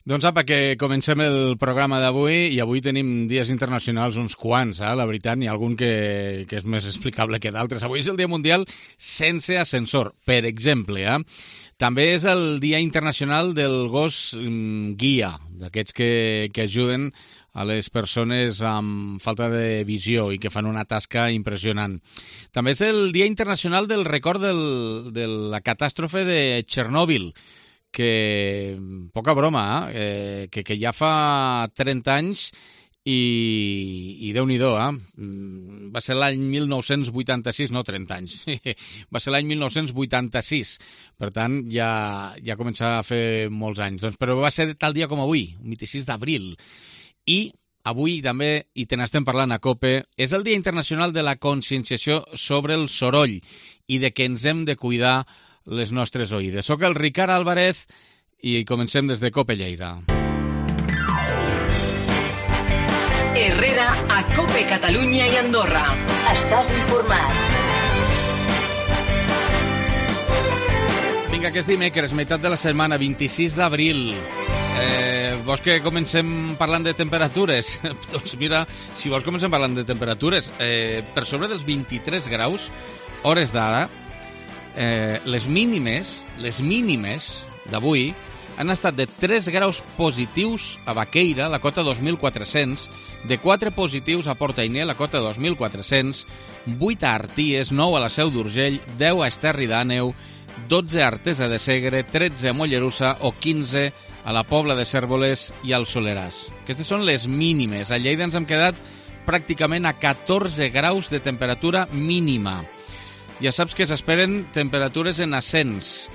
Doncs apa, que comencem el programa d'avui i avui tenim dies internacionals uns quants, la veritat, n'hi ha algun que és més explicable que d'altres. Avui és el Dia Mundial sense ascensor, per exemple. També és el Dia Internacional del Gos Guia, d'aquests que ajuden a les persones amb falta de visió i que fan una tasca impressionant. També és el Dia Internacional del Record de la catàstrofe de Txernòbil, que, poca broma, que ja fa 30 anys i Déu-n'hi-do, va ser l'any 1986, no 30 anys, va ser l'any 1986, per tant ja comença a fer molts anys, doncs, però va ser tal dia com avui, 26 d'abril, i avui també, i te n'estem parlant a COPE, és el Dia Internacional de la Conscienciació sobre el Soroll i de que ens hem de cuidar les nostres oïdes. Soc el Ricard Álvarez i comencem des de COPE Lleida. Herrera a COPE Catalunya i Andorra. Estàs informat. Vinga, que és dimecres, meitat de la setmana, 26 d'abril. Vols que comencem parlant de temperatures? Doncs mira, si vols comencem parlant de temperatures. Per sobre dels 23 graus, hores d'ara, les mínimes d'avui han estat de 3 graus positius a Baqueira, la cota 2.400, de 4 positius a Portainer, la cota 2.400, 8 a Arties, 9 a la Seu d'Urgell, 10 a Esterri d'Àneu, 12 a Artesa de Segre, 13 a Mollerussa o 15 a la Pobla de Cérvoles i al Soleràs. Aquestes són les mínimes. A Lleida ens hem quedat pràcticament a 14 graus de temperatura mínima. Ja saps que s'esperen temperatures en ascens.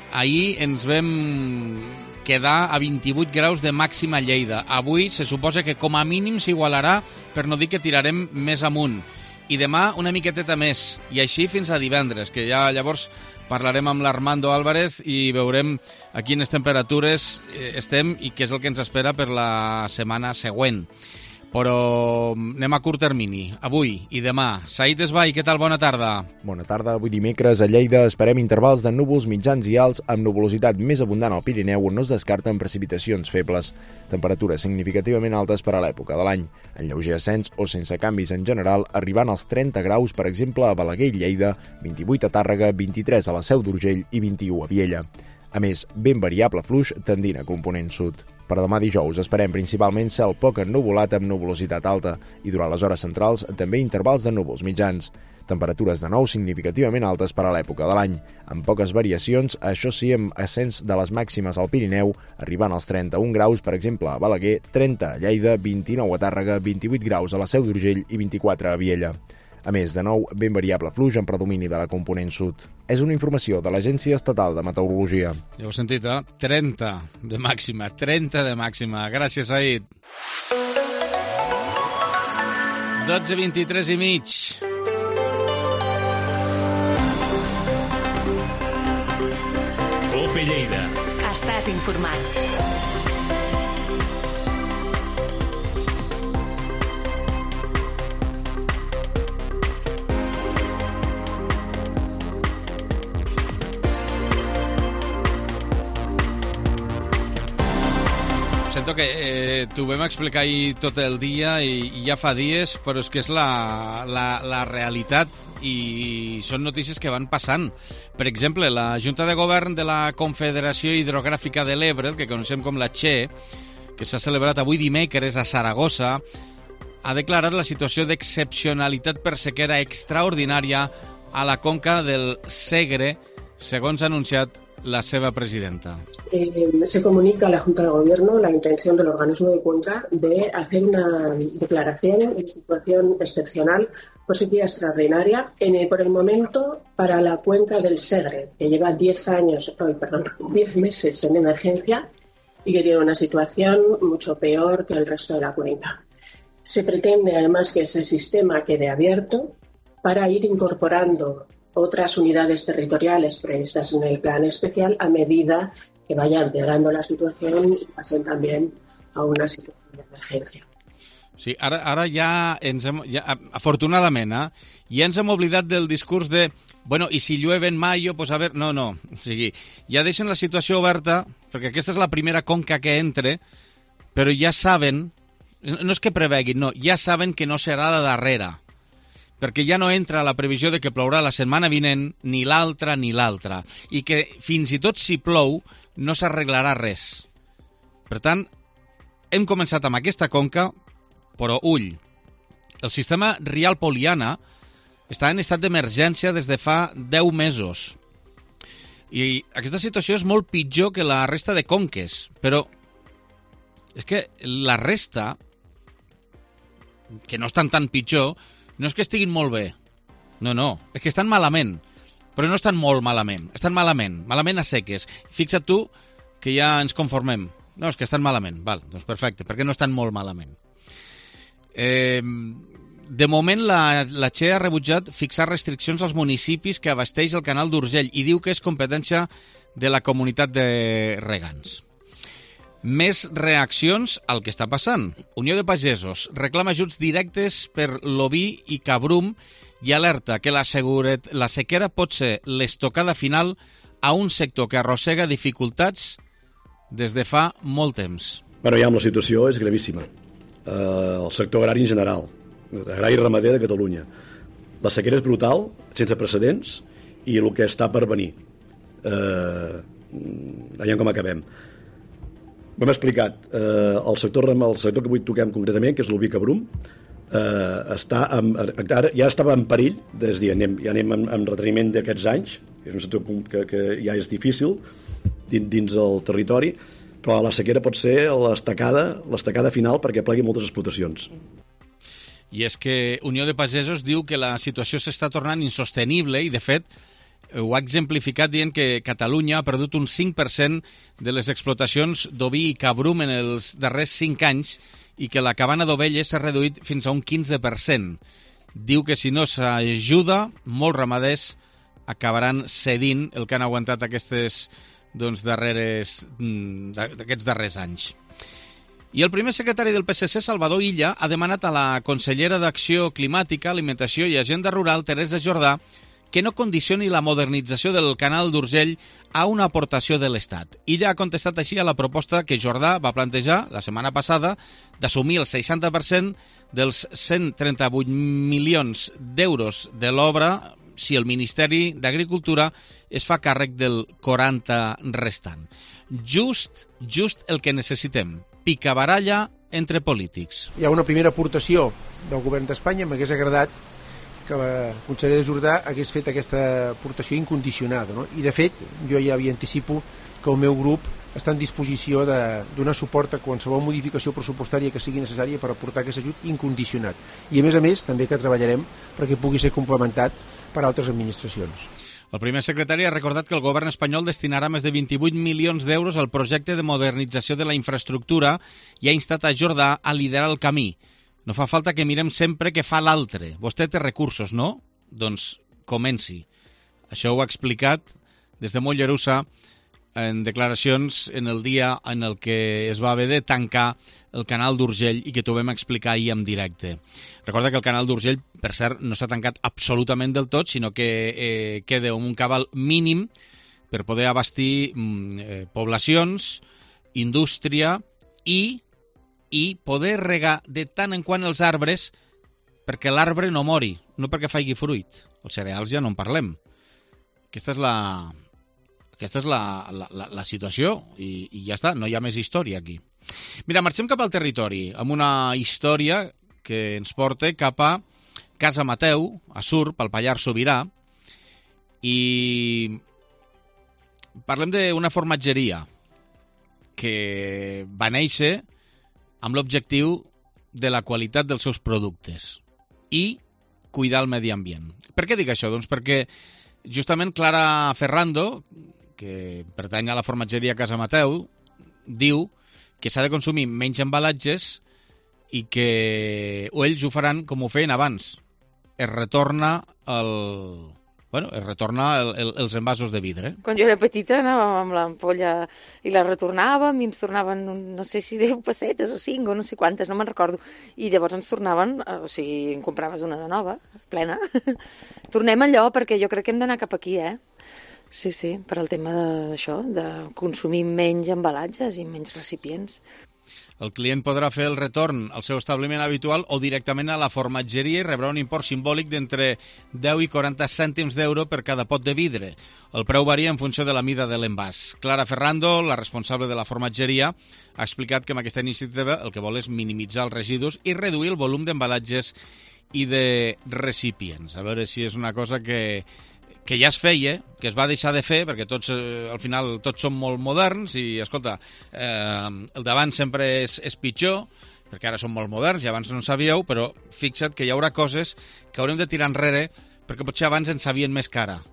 Ahir ens vam quedar a 28 graus de màxima a Lleida. Avui se suposa que com a mínim s'igualarà, per no dir que tirarem més amunt. I demà una miqueteta més. I així fins a divendres, que ja llavors parlarem amb l'Armando Álvarez i veurem a quines temperatures estem i què és el que ens espera per la setmana següent. Però anem a curt termini, avui i demà. Saïd Esbai, què tal? Bona tarda. Bona tarda. Avui dimecres a Lleida esperem intervals de núvols mitjans i alts amb nuvolositat més abundant al Pirineu on no es descarten precipitacions febles. Temperatures significativament altes per a l'època de l'any. En lleuger ascens o sense canvis en general, arribant als 30 graus, per exemple, a Balaguer i Lleida, 28 a Tàrrega, 23 a la Seu d'Urgell i 21 a Viella. A més, ben variable fluix tendint a component sud. Per demà dijous esperem principalment cel poc ennuvolat amb nuvolositat alta i durant les hores centrals també intervals de núvols mitjans. Temperatures de nou significativament altes per a l'època de l'any, amb poques variacions, això sí amb ascens de les màximes al Pirineu, arribant als 31 graus, per exemple, a Balaguer, 30 a Lleida, 29 a Tàrrega, 28 graus a la Seu d'Urgell i 24 a Viella. A més, de nou, ben variable fluix en predomini de la component sud. És una informació de l'Agència Estatal de Meteorologia. Ja ho heu sentit, 30 de màxima, 30 de màxima. Gràcies, Saïd. 12:23 i mig. COPE Lleida. Estàs informat. Sento que t'ho vam explicar ahir tot el dia i ja fa dies, però és que és la realitat i són notícies que van passant. Per exemple, la Junta de Govern de la Confederació Hidrogràfica de l'Ebre, el que coneixem com la CHE, que s'ha celebrat avui dimecres a Saragossa, ha declarat la situació d'excepcionalitat per sequera extraordinària a la conca del Segre, segons ha anunciat la seva presidenta. Se comunica a la Junta de Gobierno la intención del organismo de Cuenca de hacer una declaración de situación excepcional por sequía extraordinaria por el momento para la cuenca del Segre, que lleva 10 meses en emergencia y que tiene una situación mucho peor que el resto de la cuenca. Se pretende además que ese sistema quede abierto para ir incorporando otras unidades territoriales previstas en el plan especial a medida que vaya empeorando la situación y pasen también a una situación de emergencia. Sí, ara afortunadament, ja ens hem oblidat del discurs de bueno, i si llueve en mayo, pues a ver... No. O sigui, ja deixen la situació oberta, perquè aquesta és la primera conca que entre, però ja saben, no és que preveguin, no, ja saben que no serà la darrera, perquè ja no entra la previsió de que plourà la setmana vinent, ni l'altra, i que fins i tot si plou no s'arreglarà res. Per tant, hem començat amb aquesta conca, però ull, el sistema Rial Poliana està en estat d'emergència des de fa 10 mesos. I aquesta situació és molt pitjor que la resta de conques, però és que la resta, que no estan tan pitjor, no és que estiguin molt bé. No, és que estan malament. Però no estan molt malament, estan malament a seques. Fixa't tu que ja ens conformem. No, és que estan malament. Val, doncs perfecte, perquè no estan molt malament. De moment, la Che ha rebutjat fixar restriccions als municipis que abasteix el canal d'Urgell i diu que és competència de la comunitat de regants. Més reaccions al que està passant. Unió de Pagesos reclama ajuts directes per l'oví i cabrum i alerta que la sequera pot ser l'estocada final a un sector que arrossega dificultats des de fa molt temps. Bueno, ja la situació és gravíssima. El sector agrari en general, agrari i ramader de Catalunya. La sequera és brutal, sense precedents, i el que està per venir. Veiem com acabem. Ho hem explicat. El sector que avui toquem concretament, que és l'oví cabrum, ja estava en perill, ja anem en reteniment d'aquests anys, és un sector que ja és difícil dins el territori, però la sequera pot ser l'estacada final perquè plegui moltes explotacions. I és que Unió de Pagesos diu que la situació s'està tornant insostenible i, de fet, ho ha exemplificat dient que Catalunya ha perdut un 5% de les explotacions d'oví i cabrum en els darrers 5 anys i que la cabana d'ovelles s'ha reduït fins a un 15%. Diu que si no s'ajuda, molts ramaders acabaran cedint el que han aguantat aquests darrers anys. I el primer secretari del PSC, Salvador Illa, ha demanat a la consellera d'Acció Climàtica, Alimentació i Agenda Rural, Teresa Jordà, que no condicioni la modernització del canal d'Urgell a una aportació de l'Estat. Illa ha contestat així a la proposta que Jordà va plantejar la setmana passada d'assumir el 60% dels 138 milions d'euros de l'obra si el Ministeri d'Agricultura es fa càrrec del 40 restant. Just el que necessitem. Picabaralla entre polítics. Hi ha una primera aportació del govern d'Espanya. M'hagués agradat que la consellera Jordà hagués fet aquesta aportació incondicionada, no? I de fet, jo ja anticipo que el meu grup està en disposició de donar suport a qualsevol modificació pressupostària que sigui necessària per aportar aquest ajut incondicionat. I a més, també que treballarem perquè pugui ser complementat per altres administracions. El primer secretari ha recordat que el govern espanyol destinarà més de 28 milions d'euros al projecte de modernització de la infraestructura i ha instat a Jordà a liderar el camí. No fa falta que mirem sempre què fa l'altre. Vostè té recursos, no? Doncs comenci. Això ho ha explicat des de Mollerussa en declaracions en el dia en el que es va haver de tancar el canal d'Urgell i que t'ho vam explicar ahir en directe. Recorda que el canal d'Urgell, per cert, no s'ha tancat absolutament del tot, sinó que queda un cabal mínim per poder abastir poblacions, indústria i poder regar de tant en quant els arbres perquè l'arbre no mori, no perquè faci fruit. Els cereals ja no en parlem. Aquesta és la situació i ja està, no hi ha més història aquí. Mira, marxem cap al territori amb una història que ens porta cap a Casa Mateu, a Surp, al Pallars Sobirà, i parlem d'una formatgeria que va néixer amb l'objectiu de la qualitat dels seus productes i cuidar el medi ambient. Per què dic això? Doncs perquè justament Clara Ferrando, que pertany a la formatgeria Casa Mateu, diu que s'ha de consumir menys embalatges i que ells ho faran com ho feien abans. Es retorna es retorna els envasos de vidre. Quan jo era petita anàvem amb l'ampolla i la retornàvem i ens tornaven, no sé si 10 pessetes o 5 o no sé quantes, no me'n recordo. I llavors ens tornaven, o sigui, en compraves una de nova, plena. Tornem allò perquè jo crec que hem d'anar cap aquí, Sí, per al tema d'això, de consumir menys embalatges i menys recipients. El client podrà fer el retorn al seu establiment habitual o directament a la formatgeria i rebrà un import simbòlic d'entre 10 i 40 cèntims d'euro per cada pot de vidre. El preu varia en funció de la mida de l'envàs. Clara Ferrando, la responsable de la formatgeria, ha explicat que amb aquesta iniciativa el que vol és minimitzar els residus i reduir el volum d'embalatges i de recipients. A veure si és una cosa que ja es feia, que es va deixar de fer, perquè tots, al final, tots som molt moderns i, escolta, el d'abans sempre és pitjor, perquè ara som molt moderns i abans no en sabíeu, però fixa't que hi haurà coses que haurem de tirar enrere perquè potser abans ens sabien més cara.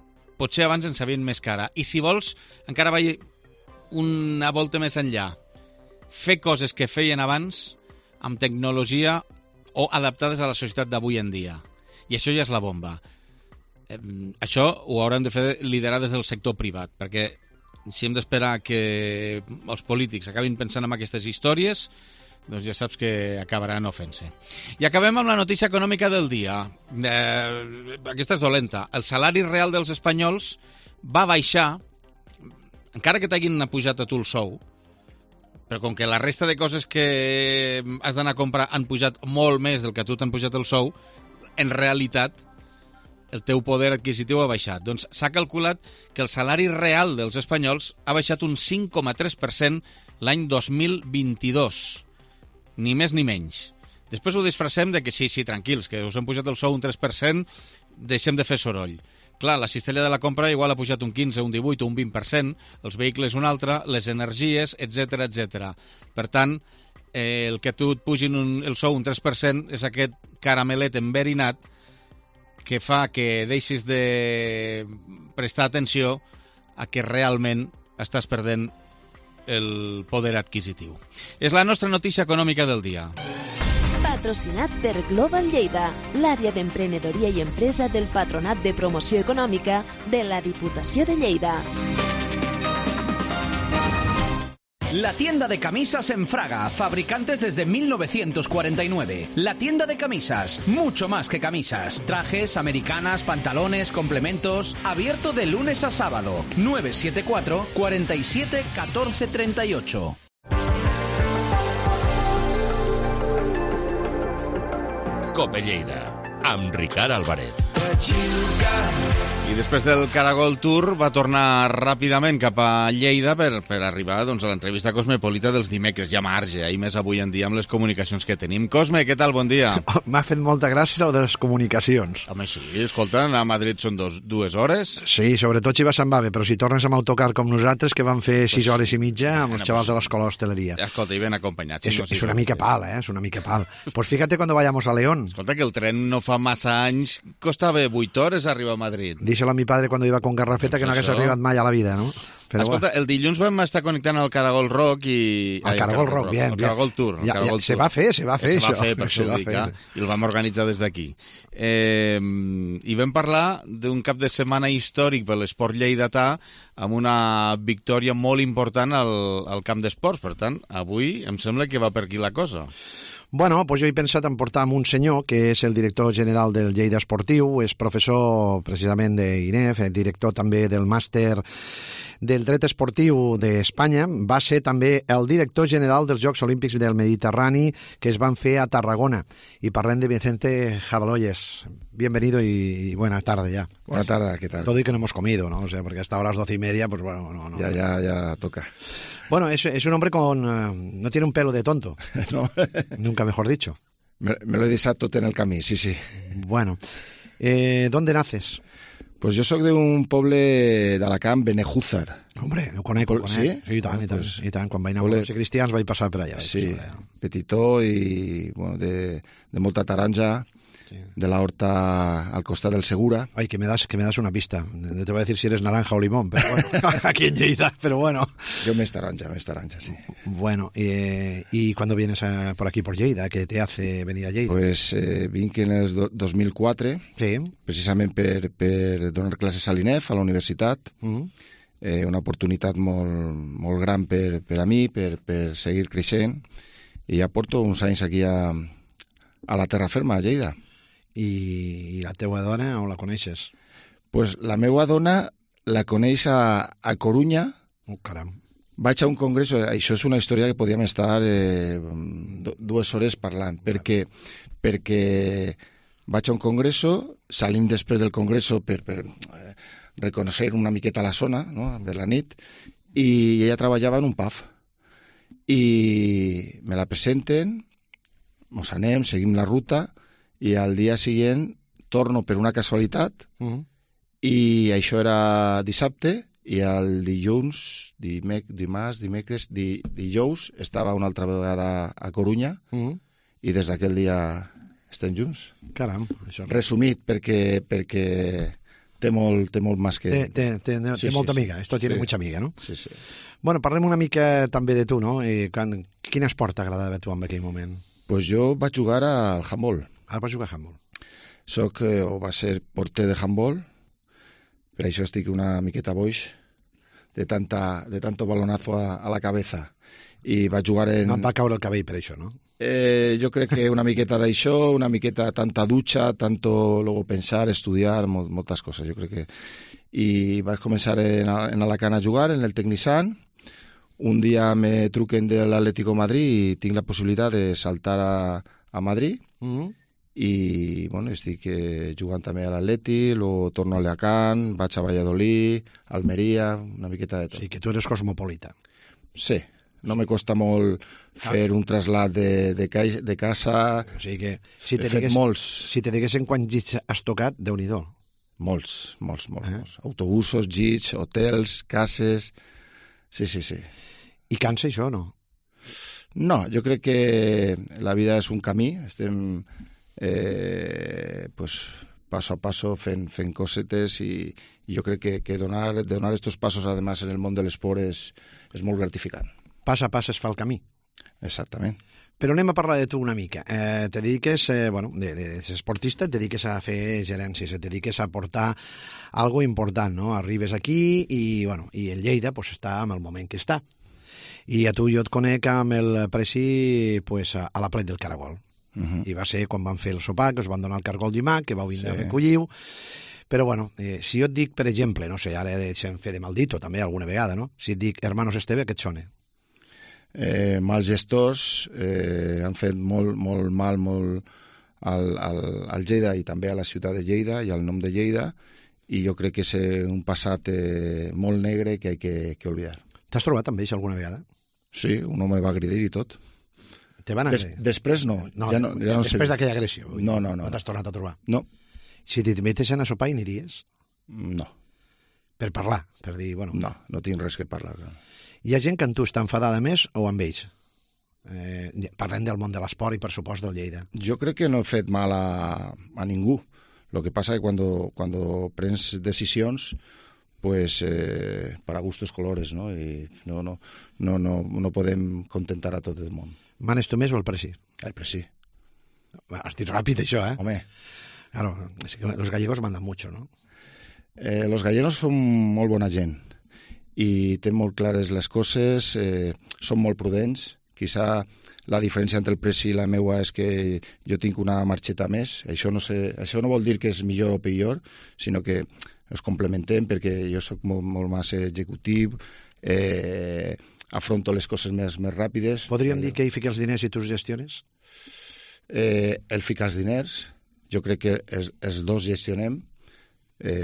I si vols, encara vaig una volta més enllà. Fer coses que feien abans amb tecnologia o adaptades a la societat d'avui en dia. I això ja és la bomba. Això ho haurem de fer liderar des del sector privat, perquè si hem d'esperar que els polítics acabin pensant en aquestes històries, doncs ja saps que acabaran ofent-se. I acabem amb la notícia econòmica del dia. Aquesta és dolenta. El salari real dels espanyols va baixar, encara que t'hagin pujat a tu el sou, però com que la resta de coses que has d'anar a comprar han pujat molt més del que a tu t'han pujat el sou, en realitat el teu poder adquisitiu ha baixat. Doncs s'ha calculat que el salari real dels espanyols ha baixat un 5,3% l'any 2022. Ni més ni menys. Després ho disfressem de que sí, tranquils, que us hem pujat el sou un 3%, deixem de fer soroll. Clar, la cistella de la compra igual ha pujat un 15, un 18 o un 20%, els vehicles un altre, les energies, etc. Per tant, el que tu et pugin el sou un 3% és aquest caramelet enverinat que fa que deixis de prestar atenció a que realment estàs perdent el poder adquisitiu. És la nostra notícia econòmica del dia. Patrocinat per Global Lleida, l'àrea d'emprenedoria i empresa del Patronat de Promoció Econòmica de la Diputació de Lleida. La tienda de camisas en Fraga, fabricantes desde 1949. La tienda de camisas, mucho más que camisas. Trajes, americanas, pantalones, complementos. Abierto de lunes a sábado. 974 47 14 38. Cope Lleida, amb Ricard Álvarez. I després del Caragol Tour va tornar ràpidament cap a Lleida per arribar doncs, a l'entrevista cosmopolita dels dimecres. Ja marge, i més avui en dia amb les comunicacions que tenim. Cosme, què tal? Bon dia. M'ha fet molta gràcia el de les comunicacions. Home, sí, escolta, anar a Madrid són 2 hores. Sí, sobretot si vas amb AVE, però si tornes amb autocar com nosaltres, que vam fer 6 hores i mitja amb els xavals de l'escola d'hostaleria. Escolta, i ben acompanyats. Es una mica pal, es una mica pal. Pues fíjate cuando vayamos a León. Escolta, que el tren no fa massa anys costava 8 hores arribar a Madrid. Díselo a mi padre cuando iba con Garrafeta, que no hagués arribat mai a la vida, no? Però escolta, el dilluns vam estar connectant al Caragol Rock i... El Caragol Rock, bien. El Caragol Tour. Se va fer, això. Per això ho dic, i el vam organitzar des d'aquí. I vam parlar d'un cap de setmana històric per l'esport lleidatà amb una victòria molt important al camp d'esports. Per tant, avui em sembla que va per aquí la cosa. Bueno, pues jo he pensat en portar amb un senyor que és el director general del Lleida Esportiu, és professor precisament d'INEF, director també del màster del dret esportiu d'Espanya, va ser també el director general dels Jocs Olímpics del Mediterrani que es van fer a Tarragona. Y parlem de Vicente Jabaloyes. Bienvenido y buena tarde ya. Buena tarde, ¿qué tal? Todo y que no hemos comido, ¿no? O sea, porque hasta ahora las 12:30, pues bueno, no. Ya toca. Bueno, es un hombre con... no tiene un pelo de tonto. No. Nunca mejor dicho. Me lo he deixat tot en el camí, sí. Bueno, ¿dónde naces? Pues jo sóc d'un poble d'Alacant, Benejúzar. Hombre, ho conec. Sí? Sí, i tant. Quan vaig anar a ser cristians vaig passar per allà. Sí, petitó i bueno, de molta taronja de la horta al costat del Segura. Ay, que me das una pista. No te voy a decir si eres naranja o limón, pero bueno, aquí en Lleida, pero bueno. Yo me taranja, sí. Bueno, ¿y cuándo vienes por aquí, por Lleida? ¿Qué te hace venir a Lleida? Pues vinc en el 2004, sí. Precisament per donar classes a l'INEF, a la universitat, una oportunitat molt gran per a mi, per seguir creixent, i ja porto uns anys aquí a la terra ferma, a Lleida. I la teua dona, on la coneixes? Pues la meva dona la coneix a Corunya. Oh, caram. Vaig a un congreso, això és una història que podíem estar 2 hores parlant, perquè vaig a un congreso, salim després del congreso per reconèixer una miqueta la zona, no?, de la nit, i ella treballava en un pub. I me la presenten, mos anem, seguim la ruta, i al dia següent torno per una casualitat, i això era dissabte, i el dilluns, dimecres, dijous, estava una altra vegada a Corunya, i des d'aquell dia estem junts. Caram. Això... Resumit, perquè té molt més que... Té molta amiga, esto tiene mucha amiga, no? Sí, sí. Bueno, parlem una mica també de tu, no? Quin esport t'agradava a tu en aquell moment? Pues jo vaig jugar al handball. Ah, vas jugar a handball. Soc, o va ser porter de handball, per això estic una miqueta boix de tanto balonazo a la cabeza. I vaig jugar en... No et va caure el cabell per això, no? Jo crec que una miqueta d'això, una miqueta tanta dutxa, tanto luego pensar, estudiar, moltes coses, jo crec que... I vaig començar en Alacant a jugar, en el Tecnisan. Un dia me truquen de l'Atlético de Madrid i tinc la possibilitat de saltar a Madrid. I, bueno, estic jugant també a l'Atleti, luego torno a Alacant, vaig a Valladolid, Almeria, una miqueta de tot. Sí, que tu eres cosmopolita. Sí. No me costa molt fer un trasllat de casa. O sigui que si he fet molts. Si te diguessin quants llits has tocat, Déu-n'hi-do. Molts. Autobusos, llits, hotels, cases... Sí. I cansa això o no? No, jo crec que la vida és un camí. Estem paso a paso fent cosetes i jo crec que donar estos pasos, además, en el món de l'esport és molt gratificant. Pas a pas es fa el camí. Exactament. Però anem a parlar de tu una mica. Te dediques, de ser esportista, te dediques a fer gerències, te dediques a portar algo important, no? Arribes aquí i el Lleida pues, està en el moment que està. I a tu jo et conec amb el Preci pues, a la Plet del Caragol. I va ser quan van fer el sopar, que us van donar el cargol llimac, que vau vindre a recollir-ho. Però, si jo et dic, per exemple, no sé, ara deixem fer de maldito també alguna vegada, no? Si et dic Hermanos Esteve, què et sona? Mals gestors han fet molt mal al Lleida i també a la ciutat de Lleida i al nom de Lleida, i jo crec que és un passat molt negre que hay que olvidar. T'has trobat amb ells alguna vegada? Sí, un home va agredir i tot. Te van agredir? Després no. Ja no després d'aquella agressió? No. No t'has tornat a trobar? No. Si t'hi metessin a sopar, hi aniries? No. Per parlar? Per dir, No tinc res que parlar. Hi ha gent que amb tu està enfadada més o amb ells? Parlem del món de l'esport i, per supost, del Lleida. Jo crec que no he fet mal a ningú. Lo que pasa es que cuando prens decisions, pues para gustos colores, ¿no? Y no podem contentar a tot el món. Manes tu més o el Preci? El Preci. Has dit ràpid, això, eh? Home. Claro, es que los gallegos mandan mucho, ¿no? Los gallegos són molt bona gent i tenen molt clares les coses, són molt prudents. Quizá la diferència entre el Preci i la meua és que jo tinc una marxeta més. Això no vol dir que és millor o pitjor, sinó que es complementem perquè jo soc molt més executiu, afronto les coses més ràpides. Podríem dir que ell fica els diners i tu els gestiones? Ell fica els diners, jo crec que els dos gestionem,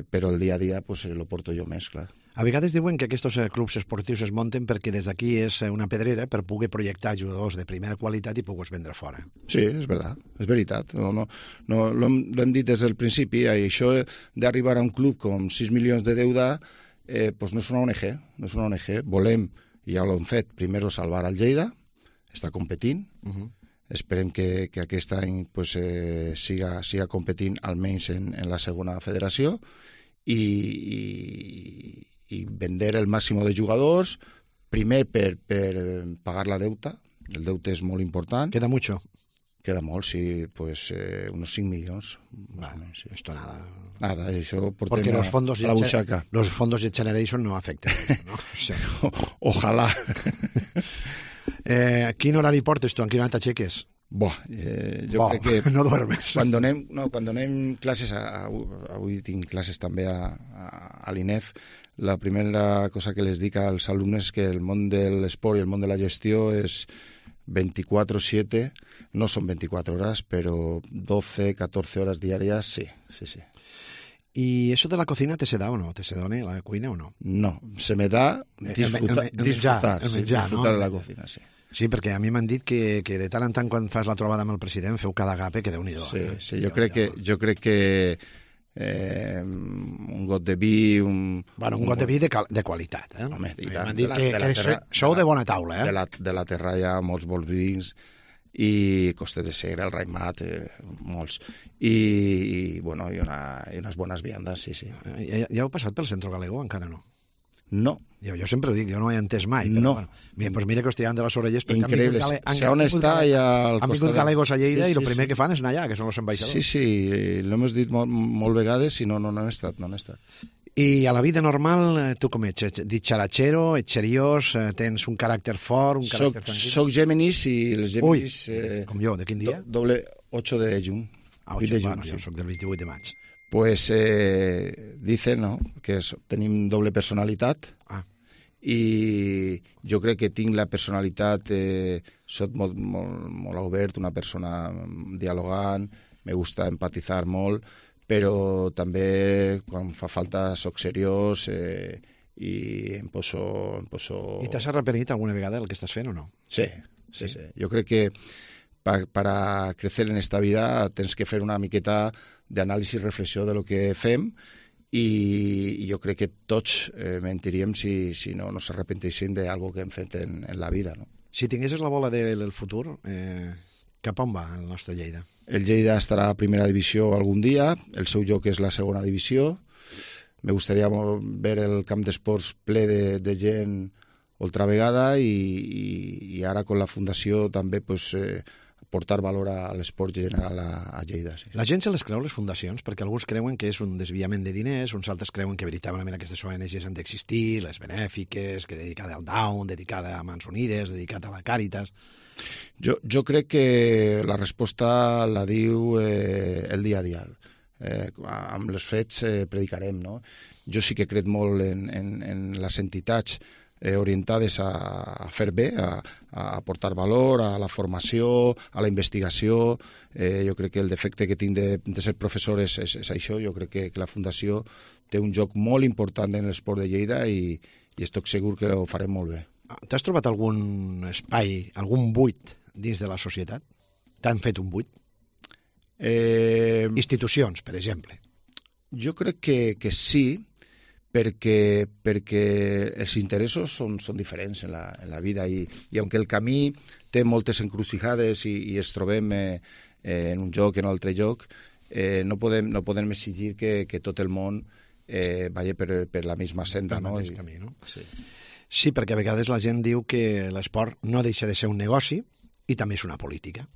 però el dia a dia pues, lo porto jo més, clar. A vegades diuen que aquests clubs esportius es munten perquè des d'aquí és una pedrera per poder projectar jugadors de primera qualitat i poder vendre fora. Sí, és veritat. No, l'hem dit des del principi, i això d'arribar a un club com 6 milions de deuda pues no és una ONG. Volem, i ja l'hem fet, primer salvar el Lleida, està competint, esperem que aquest any pues, siga competint almenys en la segona federació i vender el màxim de jugadors, primer per pagar la deuta. El deute és molt important. Queda mucho. Queda molt, sí, pues unos 5 millones. Sí. Esto nada. Nada, eso porque los fondos a la buchaca. Los fondos de Generation no afecten, ¿no? Sí. Ojalá. Quin horari portes tu? En quin hora t'aixeques? Jo crec que... No duermes. Quan donem classes, avui tinc classes també a l'INEF, la primera cosa que les dic als alumnes és que el món de l'esport i el món de la gestió és 24/7, no són 24 hores, però 12, 14 hores diàries, sí. ¿Y eso de la cocina te se da o no? ¿Te se dona la cuina o no? No, se me da disfrutar de la cocina, sí. Sí, perquè a mi m'han dit que de tant en tant quan fas la trobada amb el president feu cada gape que Déu-n'hi-do. Sí, jo crec que un got de vi... Un got de vi de qualitat, eh? Home, i tant. M'han dit que sou de bona taula, eh? De la terra hi ha molts bons vins i Costes de Segre, el Raimat, molts. I unes bones viandes, sí. Ja heu passat pel Centro Galego? Encara no? No. Jo sempre ho dic, jo no ho he entès mai. Però, no. Pues mira que os tiran de les orelles. Increïble. Si on està ja al costat... Han vingut galegos a Lleida i el primer que fan és anar allà, que són els ambaixadors. Sí, l'hem dit molt vegades i no han estat. I a la vida normal, tu com ets? Dicharachero, ets seriós, tens un caràcter fort, un caràcter tranquil? Soc Géminis i els Géminis... com jo, de quin dia? Doble 8 de juny. Jo soc del 28 de maig. Pues dicen, no?, que tenim doble personalitat i jo crec que tinc la personalitat, soc molt obert, una persona dialogant, me gusta empatitzar molt, però també quan fa falta soc seriós i em poso... I t'has arrepenit alguna vegada del que estàs fent o no? Sí. Jo crec que para crecer en esta vida tens que fer una miqueta d'anàlisi i reflexió de lo que fem i jo crec que tots mentiríem si no s'arrepenteixin d'algo que hem fet en la vida, no? Si tinguessis la bola del futur, cap on va el nostre Lleida? El Lleida estarà a primera divisió algun dia, el seu lloc és la segona divisió. Me gustaría ver el camp d'esports ple de gent altra vegada i ara con la fundació també portar valor a l'esport general a Lleida. Sí. La gent se les creu, les fundacions, perquè alguns creuen que és un desviament de diners, uns altres creuen que veritablement aquestes ONGs han d'existir, les benèfiques, que dedicada al Down, dedicada a Mans Unides, dedicada a la Càritas... Jo crec que la resposta la diu el dia a dia. Amb els fets predicarem, no? Jo sí que crec molt en les entitats orientades a fer bé, a aportar valor, a la formació, a la investigació. Jo crec que el defecte que tinc de ser professor és això. Jo crec que la Fundació té un joc molt important en l'esport de Lleida i estic segur que ho farem molt bé. T'has trobat algun espai, algun buit dins de la societat? T'han fet un buit? Institucions, per exemple. Jo crec que sí, perquè els interessos són diferents en la vida i aunque el camí té moltes encrucijades i es trobem en un lloc, en un altre lloc, no podem exigir que tot el món vagi per la misma senda. Per el mateix camí, no? Sí, perquè a vegades la gent diu que l'esport no deixa de ser un negoci i també és una política.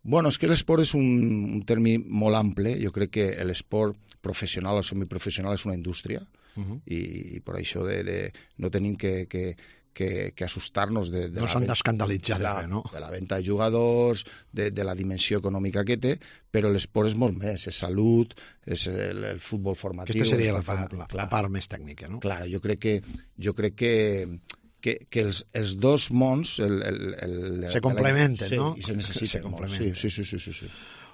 Bueno, és que l'esport és un terme molt ample. Jo crec que l'esport professional o semiprofessional és una indústria i per això no tenim que assustar-nos de no s'han d'escandalitzar de la venda de jugadors, de la dimensió econòmica que té, però l'esport és molt més, és salut, és el futbol formatiu. Aquesta seria la part més tècnica, no? Clar, jo crec que els dos mons se complementen, no? I se necessiten molt. Sí.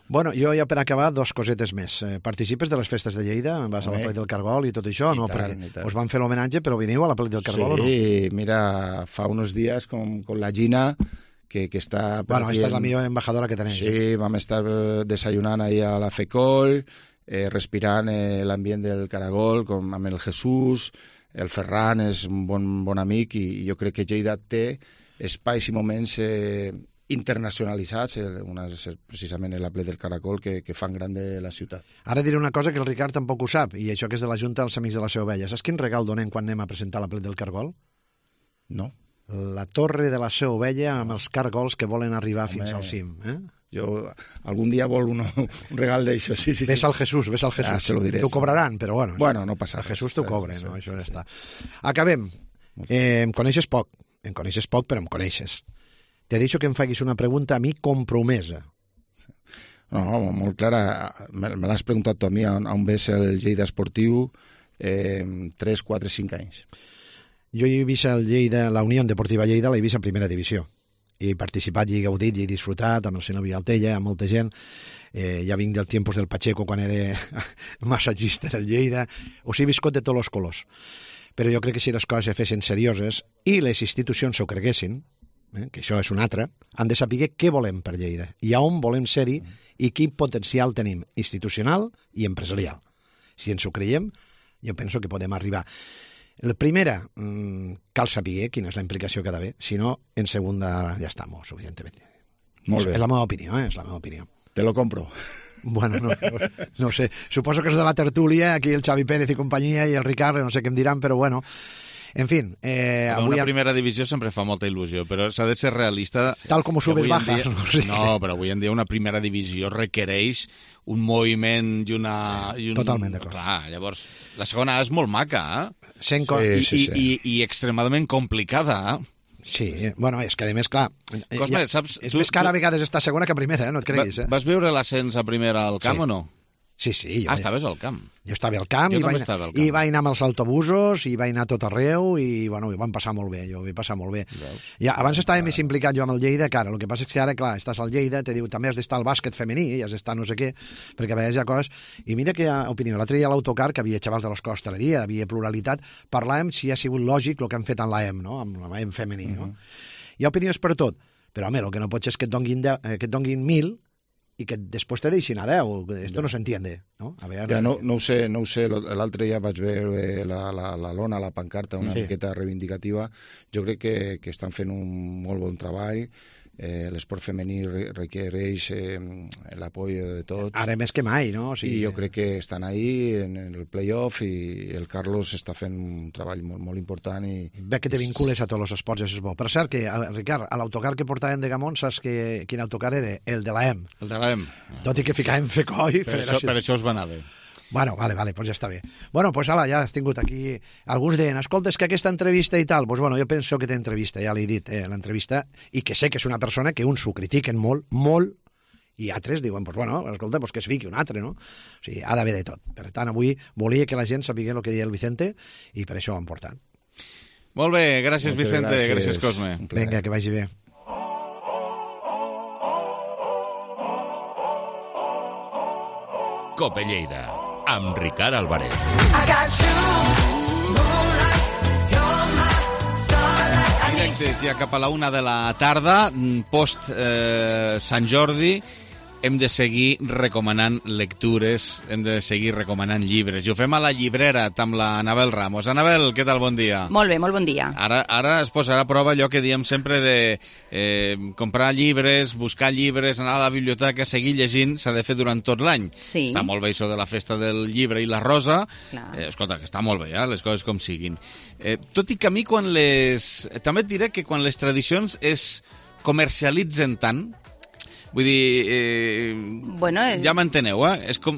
Bueno, jo ja per acabar, 2 cosetes més. Participes de les festes de Lleida? Vas a la Plec del Cargol i tot això? No, perquè us van fer l'homenatge, però veniu a la Plec del Cargol o no? Sí, mira, fa unos días con la Gina, que està... Bueno, esta és la millor embajadora que tenéis. Sí, vam estar desayunant ahí a la FECOL, respirant l'ambient del Caragol amb el Jesús, el Ferran és un bon amic i jo crec que Lleida té espais i moments internacionalitzats, una és precisament l'Aplec del Caracol, que fan gran de la ciutat. Ara diré una cosa que el Ricard tampoc ho sap, i això que és de la Junta dels Amics de la Seu Vella. Saps quin regal donem quan anem a presentar l'Aplec del Cargol? No. La torre de la Seu Vella amb els cargols que volen arribar fins al cim. Jo algun dia vol un regal d'això, sí. Ves al Jesús. Se lo diré. T'ho cobraran, però bueno. Bueno, no passa res. El Jesús t'ho cobra, no? Això ja està. Acabem. Em coneixes poc, però em coneixes. T'he dit que em facis una pregunta a mi compromesa. No, molt clara. Me l'has preguntat tu a mi, on ves el Lleida esportiu 3, 4, 5 anys. Jo he vist el Lleida, la Unió Deportiva Lleida, l'he vist en primera divisió. I he participat, i he gaudit, i he disfrutat amb el senyor Vialtella, amb molta gent. Ja vinc del tiempos del Pacheco, quan era massatgista del Lleida. Us he viscut de tots els colors. Però jo crec que si les coses es fessin serioses i les institucions s'ho creguessin, que això és un altre, han de saber què volem per Lleida i a on volem ser-hi i quin potencial tenim institucional i empresarial. Si ens ho creiem, jo penso que podem arribar. La primera, cal saber quina és la implicació que ha d'haver, si no, en segunda ja està molt suficientment. Molt bé. És la meva opinió, és la meva opinió. Te lo compro. Bueno, no sé. Suposo que és de la tertúlia, aquí el Xavi Pérez i companyia i el Ricard, no sé què em diran, però bueno. En fin... Una primera divisió sempre fa molta il·lusió, però s'ha de ser realista... Tal com ho subes bajas, no sé. No, però avui en dia una primera divisió requereix un moviment i una... Totalment d'acord. Clar, llavors, la segona és molt maca, Sí. I extremadament complicada, Sí, bueno, és que a més, clar, Cosme, saps, és més cara a vegades estar segona que primera, no et creguis. Vas veure l'ascens a primera al camp o no? Sí. Estaves al camp. Jo estava al camp, i vaig anar amb els autobusos, i vaig anar a tot arreu, i bueno, ho vam passar molt bé, jo ho vaig passar molt bé. Ja, abans estava més implicat jo amb el Lleida, que ara, el que passa és que ara, clar, estàs al Lleida, te diu, també has d'estar al bàsquet femení, i has d'estar no sé què, perquè a vegades hi ha coses... I mira que hi ha opinió. L'altre dia a l'autocar, que havia xavals de l'escola hostaleria, havia pluralitat, parlàvem si ha sigut lògic el que han fet en l'AEM, no? Amb l'AEM femení, no? Hi ha opinions per tot, però, home, el que no pots és que et donguin 1.000 i que després te deixin a 10. Esto no s'entiende, no? A veure... Ja no ho sé. L'altre dia vaig veure la lona, la pancarta, una miqueta reivindicativa. Jo crec que estan fent un molt bon treball. L'esport femení requereix l'apoyo de tots. Ara més que mai, no? I jo crec que estan ahí en el play-off i el Carlos està fent un treball molt important. Ve que te vincules a tots els esports, això és bo. Per cert, que, Ricard, a l'autocar que portàvem de Gamont, saps quin autocar era? El de l'AEM. El de l'AEM. Tot i que ficàvem FECOI... Per això us va anar bé. Bueno, vale, pues ja està bé. Bueno, pues ala, ja has tingut aquí... Alguns deien, escolta, és que aquesta entrevista i tal... Pues bueno, jo penso que té entrevista, ja l'he dit, l'entrevista, i que sé que és una persona que uns ho critiquen molt, i altres diuen, pues bueno, escolta, pues que es fiqui un altre, no? O sigui, ha d'haver de tot. Per tant, avui volia que la gent sapigués el que deia el Vicente, i per això ho han portat. Molt bé, gràcies, Vicente, gràcies, Cosme. Vinga, que vagi bé. Cope Lleida, amb Ricard Álvarez. Directes ja cap a la 1 de la tarda, post Sant Jordi, hem de seguir recomanant lectures, hem de seguir recomanant llibres. I ho fem a la llibrera amb la Anabel Ramos. Anabel, què tal? Bon dia. Molt bé, molt bon dia. Ara es posarà a prova allò que diem sempre de comprar llibres, buscar llibres, anar a la biblioteca, seguir llegint, s'ha de fer durant tot l'any. Sí. Està molt bé això de la festa del llibre i la rosa. Escolta, que està molt bé, les coses com siguin. Tot i que a mi també et diré que quan les tradicions es comercialitzen tant, vull dir, ja m'enteneu, És com...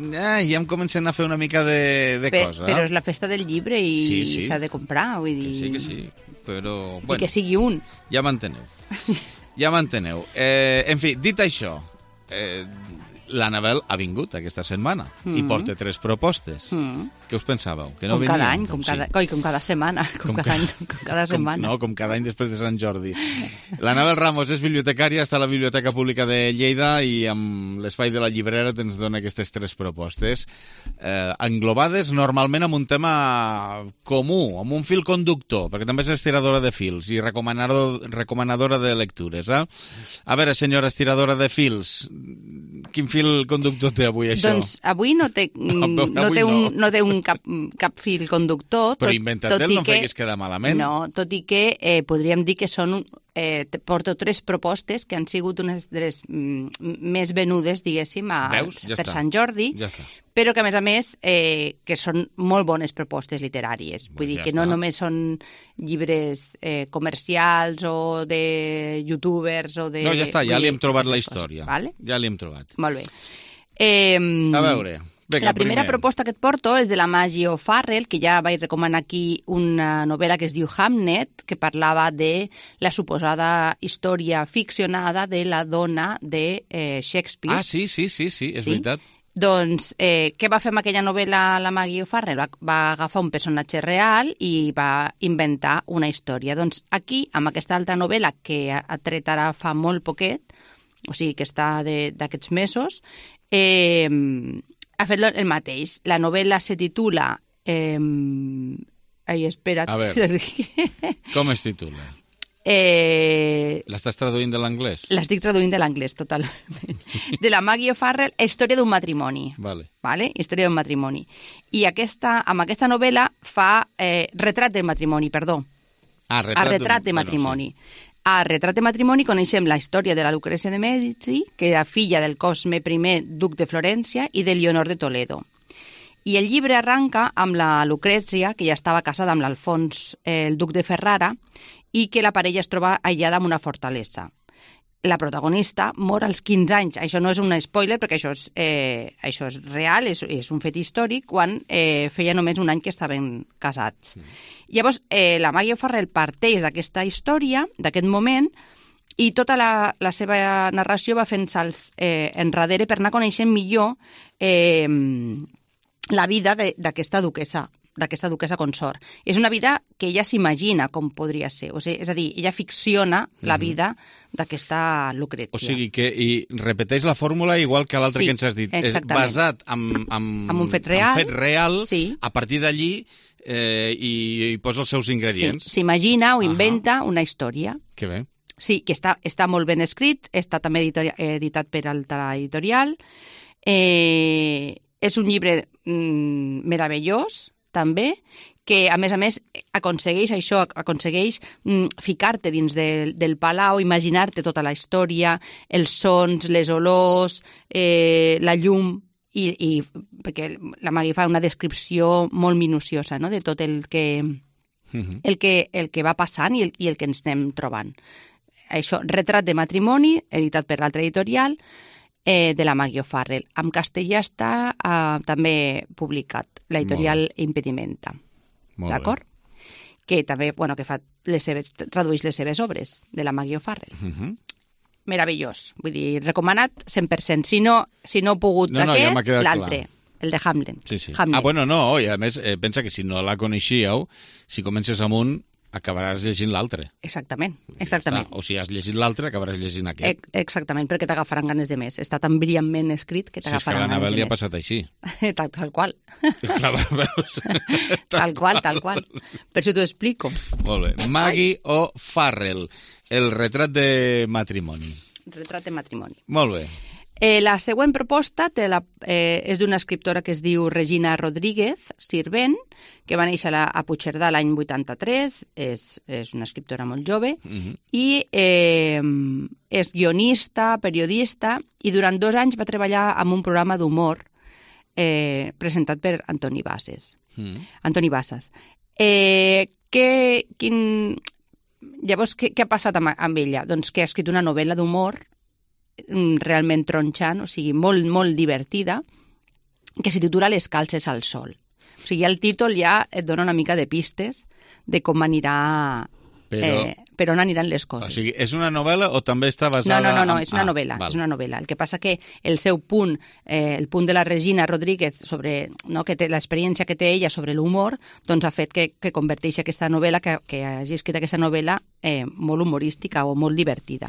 ja em comencen a fer una mica de cosa. Però és la festa del llibre i s'ha de comprar, vull dir... Que sí, però... I que sigui un. Ja m'enteneu. En fi, dit això, l'Anabel ha vingut aquesta setmana i porta 3 propostes. Què us pensàveu? Que no com venia? Cada any, com cada setmana. Com cada setmana. Com cada any després de Sant Jordi. L'Anabel Ramos és bibliotecària, està a la Biblioteca Pública de Lleida i amb l'espai de la llibrera ens dona aquestes 3 propostes englobades normalment amb un tema comú, amb un fil conductor, perquè també és estiradora de fils i recomanadora de lectures. A veure, senyora estiradora de fils, quin fil conductor té avui això? Doncs avui no té cap fil conductor. Però inventa-te'l, no em feguis quedar malament. No, tot i que podríem dir que són porto 3 propostes que han sigut unes de les més venudes, diguéssim, per Sant Jordi, però que, a més, que són molt bones propostes literàries. Vull dir que no només són llibres comercials o de youtubers o de... No, ja està, ja li hem trobat la història. Ja li hem trobat. Molt bé. A veure... La primera proposta que et porto és de la Maggie O'Farrell, que ja vaig recomanar aquí una novel·la que es diu Hamnet, que parlava de la suposada història ficcionada de la dona de Shakespeare. Ah, sí, és veritat. Doncs, què va fer amb aquella novel·la la Maggie O'Farrell? Va agafar un personatge real i va inventar una història. Doncs aquí, amb aquesta altra novel·la que ha tret ara fa molt poquet, o sigui que està d'aquests mesos, ha fet el mateix. La novel·la se titula... Ai, espera't. A veure, com es titula? L'estàs traduint de l'anglès? L'estic traduint de l'anglès, totalment. De la Maggie O'Farrell, Història d'un matrimoni. Vale? Història d'un matrimoni. I amb aquesta novel·la fa retrat del matrimoni, perdó. Retrat de matrimoni. A Retrat de matrimoni coneixem la història de la Lucrècia de Mèdici, que era filla del Cosme I, duc de Florència, i de Leonor de Toledo. I el llibre arranca amb la Lucrècia, que ja estava casada amb l'Alfons, el duc de Ferrara, i que la parella es troba aïllada en una fortalesa. La protagonista mor als 15 anys. Això no és un spoiler, perquè això és real, és un fet històric, quan feia només un any que estaven casats. Llavors, la Maggie O'Farrell parteix d'aquesta història, d'aquest moment, i tota la seva narració va fent salts enrere per anar coneixent millor la vida d'aquesta duquessa consort. És una vida que ella s'imagina com podria ser. O sigui, és a dir, ella ficciona la vida d'aquesta Lucrècia. O sigui, que repeteix la fórmula igual que l'altre que ens has dit. Exactament. És basat en un fet real. En fet real, a partir d'allí i posa els seus ingredients. Sí, s'imagina o inventa una història. Que bé. Sí, que està molt ben escrit, està també editat per Alta Editorial. És un llibre meravellós, també, que, a més, aconsegueix ficar-te dins del palau, imaginar-te tota la història, els sons, les olors, la llum, i perquè la Maggie fa una descripció molt minuciosa, no?, de tot el que va passant i el que ens anem trobant. Això, Retrat de matrimoni, editat per l'Altra Editorial, de la Maggie O'Farrell. En castellà està també publicat, l'editorial Impedimenta. D'acord? Que també, que tradueix les seves obres, de la Maggie O'Farrell. Meravellós. Vull dir, recomanat 100%. Si no he pogut aquest, l'altre. El de Hamlet. Sí. I a més, pensa que si no la coneixíeu, si comences amb un, acabaràs llegint l'altre. Exactament. O si has llegit l'altre, acabaràs llegint aquest. Exactament, perquè t'agafaran ganes de més. Està tan brillantment escrit que t'agafaran ganes de més. Si és que l'Anabel li ha passat així. Tal qual. Clar, veus? Tal qual. Per això t'ho explico. Molt bé. Maggie O'Farrell, el retrat de matrimoni. Retrat de matrimoni. Molt bé. La següent proposta és d'una escriptora que es diu Regina Rodríguez Sirvent, que va néixer a Puigcerdà l'any 83, és una escriptora molt jove, i és guionista, periodista, i durant 2 anys va treballar en un programa d'humor presentat per Antoni Bassas. Llavors, què ha passat amb ella? Doncs que ha escrit una novel·la d'humor realment tronxant, o sigui, molt, molt divertida, que se titula Les calces al sol. O sigui, el títol ja et dona una mica de pistes de com anirà... per on aniran les coses. O sigui, és una novel·la o també està basada... No, és una novel·la. És una novel·la. El que passa que el seu punt, el punt de la Regina Rodríguez sobre, no, que té l'experiència que té ella sobre l'humor, doncs ha fet que converteixi aquesta novel·la, que hagi escrit aquesta novel·la molt humorística o molt divertida.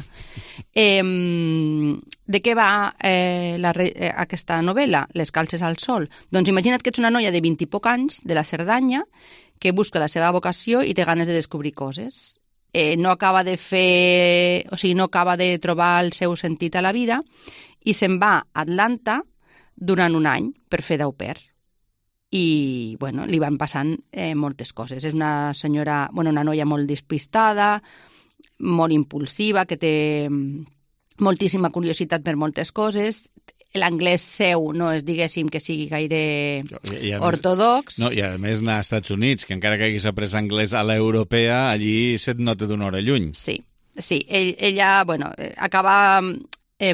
De què va aquesta novel·la, Les calces al sol? Doncs imagina't que ets una noia de 20 i poc anys, de la Cerdanya, que busca la seva vocació i té ganes de descobrir coses. No acaba de trobar el seu sentit a la vida i se'n va a Atlanta durant un any per fer d'au pair. I, li van passant moltes coses. És una noia molt despistada, molt impulsiva, que té moltíssima curiositat per moltes coses. L'anglès seu no és, diguéssim, que sigui gaire ortodox. No, i a més anar als Estats Units, que encara que hagués après anglès a l'europea, allí se't nota d'una hora lluny. Sí, ella, acaba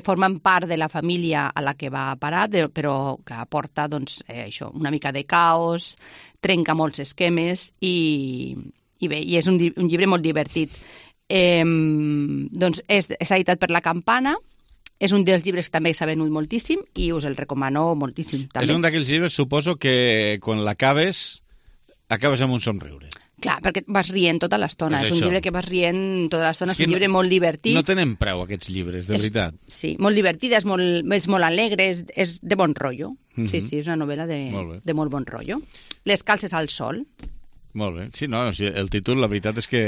formant part de la família a la que va parar, però que aporta, doncs, això, una mica de caos, trenca molts esquemes i bé, i és un llibre molt divertit. Doncs és editat per La Campana, és un dels llibres que també s'ha venut moltíssim i us el recomano moltíssim. També. És un d'aquells llibres, suposo, que quan l'acabes, acabes amb un somriure. Clar, perquè vas rient tota l'estona. És un llibre que vas rient tota l'estona, és un llibre molt divertit. No tenen preu, aquests llibres, de veritat. Sí, molt divertida, és molt alegre, és de bon rotllo. Sí, és una novel·la de molt bon rotllo. Les calces al sol. Molt bé. Sí, no, el títol, la veritat és que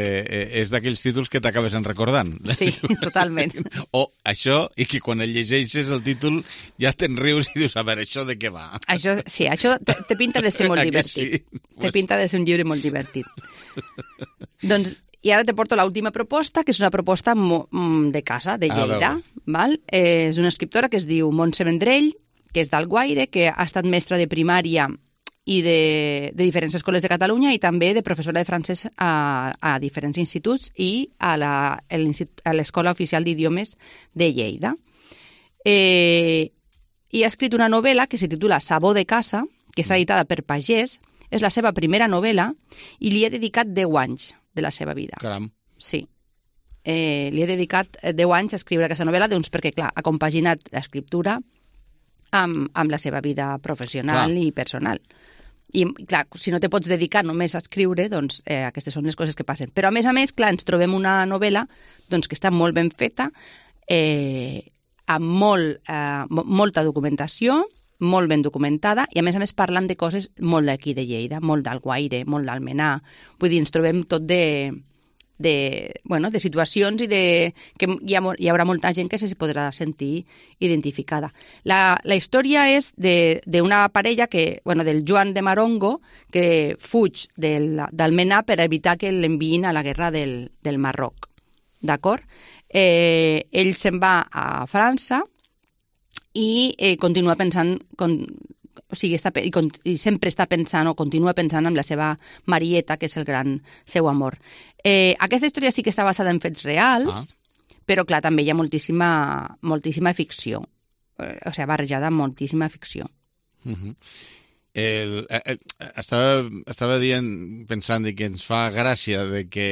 és d'aquells títols que t'acabes recordant. Sí, totalment. O això, i que quan el llegeixes el títol ja te'n rius i dius, a veure, això de què va? Això te pinta de ser molt divertit. Sí? Te pinta de ser un llibre molt divertit. Doncs, i ara te porto l'última proposta, que és una proposta de casa, de Lleida. Val? És una escriptora que es diu Montse Vendrell, que és d'Alguaire, que ha estat mestra de primària i de diferents escoles de Catalunya i també de professora de francès a diferents instituts i a l'Escola Oficial d'Idiomes de Lleida. I ha escrit una novel·la que se titula Sabó de casa, que està editada per Pagès, és la seva primera novel·la i li he dedicat 10 anys de la seva vida. Caram. Sí. Li he dedicat 10 anys a escriure aquesta novel·la, doncs perquè, clar, ha compaginat l'escriptura amb la seva vida professional i personal. I, clar, si no te pots dedicar només a escriure, doncs aquestes són les coses que passen. Però, a més, clar, ens trobem una novel·la doncs, que està molt ben feta, amb molta documentació, molt ben documentada, i a més parlant de coses molt d'aquí de Lleida, molt d'Alguaire, molt d'Almenar. Vull dir, ens trobem tot de situacions i que hi haurà molta gent que se podrà sentir identificada. La història és d'una parella del Joan de Marongo, que fuig d'Almenar per evitar que l'enviïn a la guerra del Marroc. D'acord? Ell se'n va a França i continua pensant... i sempre està pensant o continua pensant en la seva Marieta, que és el gran seu amor. Aquesta història sí que està basada en fets reals, però clar, també hi ha moltíssima ficció. O sigui, barrejada amb moltíssima ficció. Estava pensant que ens fa gràcia de que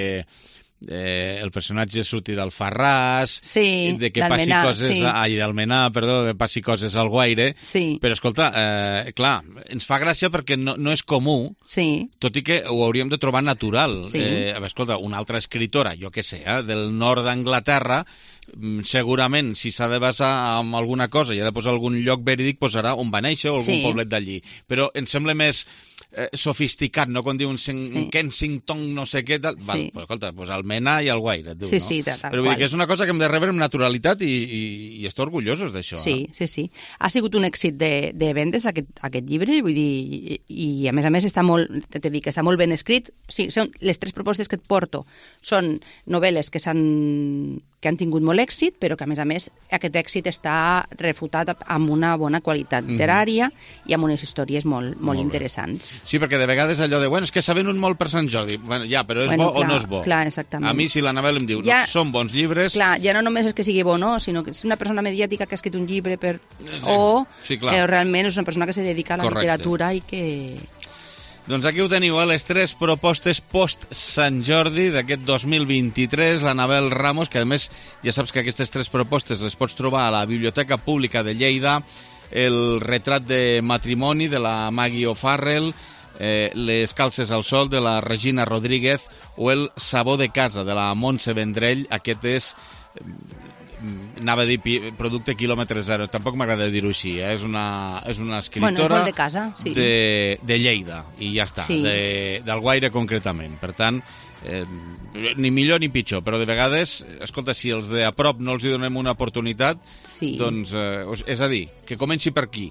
el personatge surti d'Alfarràs, de que passi coses d'Almenar, de passi coses al Guaire, però escolta, clar, ens fa gràcia perquè no és comú, tot i que ho hauríem de trobar natural. Escolta, una altra escritora, jo què sé, del nord d'Anglaterra, segurament, si s'ha de basar en alguna cosa i ha de posar algun lloc verídic, posarà on va néixer o algun poblet d'allí. Però em sembla més sofisticat, no? Quan diuen Kensington, no sé què, tal. Val, pues, escolta, pues Almenar i Alguaire, tu, no? Sí, tal però vull dir que és una cosa que hem de rebre amb naturalitat i estar orgullosos d'això. Sí. Ha sigut un èxit de vendes, aquest llibre, vull dir, i a més està molt, està molt ben escrit. Sí, són les 3 propostes que et porto són novel·les que han tingut molt èxit, però que a més aquest èxit està refutat amb una bona qualitat literària i amb unes històries molt interessants. Sí, perquè de vegades allò de, és que s'ha venut molt per Sant Jordi. Ja, però és bo o no és bo? Clar, exactament. A mi, si l'Anabel em diu, són bons llibres... Clar, ja no només és que sigui bo, no, sinó que és una persona mediàtica que ha escrit un llibre o realment és una persona que se dedica a la literatura i que... Doncs aquí ho teniu, les 3 propostes post-Sant Jordi d'aquest 2023, l'Anabel Ramos, que a més ja saps que aquestes 3 propostes les pots trobar a la Biblioteca Pública de Lleida, el retrat de matrimoni de la Maggie O'Farrell, les calces al sol de la Regina Rodríguez o el sabó de casa de la Montse Vendrell. Aquest és... anava a dir producte quilòmetre zero, tampoc m'agrada dir-ho així, és una escriptora de casa, sí. de Lleida, i ja està, d'Alguaire concretament. Per tant, ni millor ni pitjor, però de vegades, escolta, si els de a prop no els hi donem una oportunitat, doncs, és a dir, que comenci per aquí,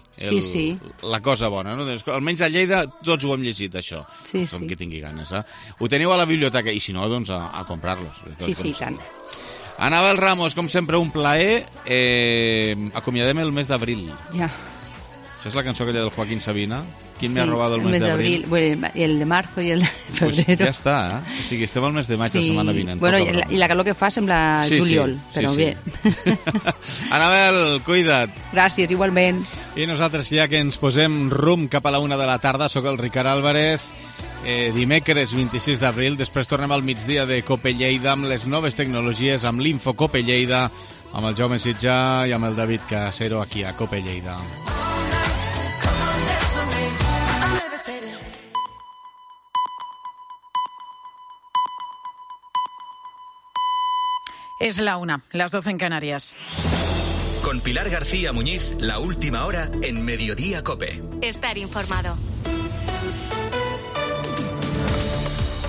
la cosa bona, no? Almenys a Lleida tots ho hem llegit, això, com qui tingui ganes. Ho teniu a la biblioteca, i si no, doncs a comprar-los. Sí, tant. Anabel Ramos, com sempre, un plaer. Acomiadem el mes d'abril. Ja. Això és la cançó aquella del Joaquín Sabina. ¿Quién me ha robado el mes de abril? Bueno, el de marzo i el de febrero. Pues ja està, O sigui, estem al mes de maig la setmana vinent. Bueno, i la calor que fa sembla juliol, però bé. Anabel, cuida't. Gràcies, igualment. I nosaltres, ja que ens posem rumb cap a la 1 de la tarda, sóc el Ricard Álvarez. Dimecres 26 d'abril, després tornem al migdia de Cope Lleida amb les noves tecnologies, amb l'Info Cope Lleida, amb el Jaume Sitjà i amb el David Casero aquí a Cope Lleida. Es la 1, las 12 en Canarias. Con Pilar García Muñiz, la última hora en Mediodía Cope. Estar informado.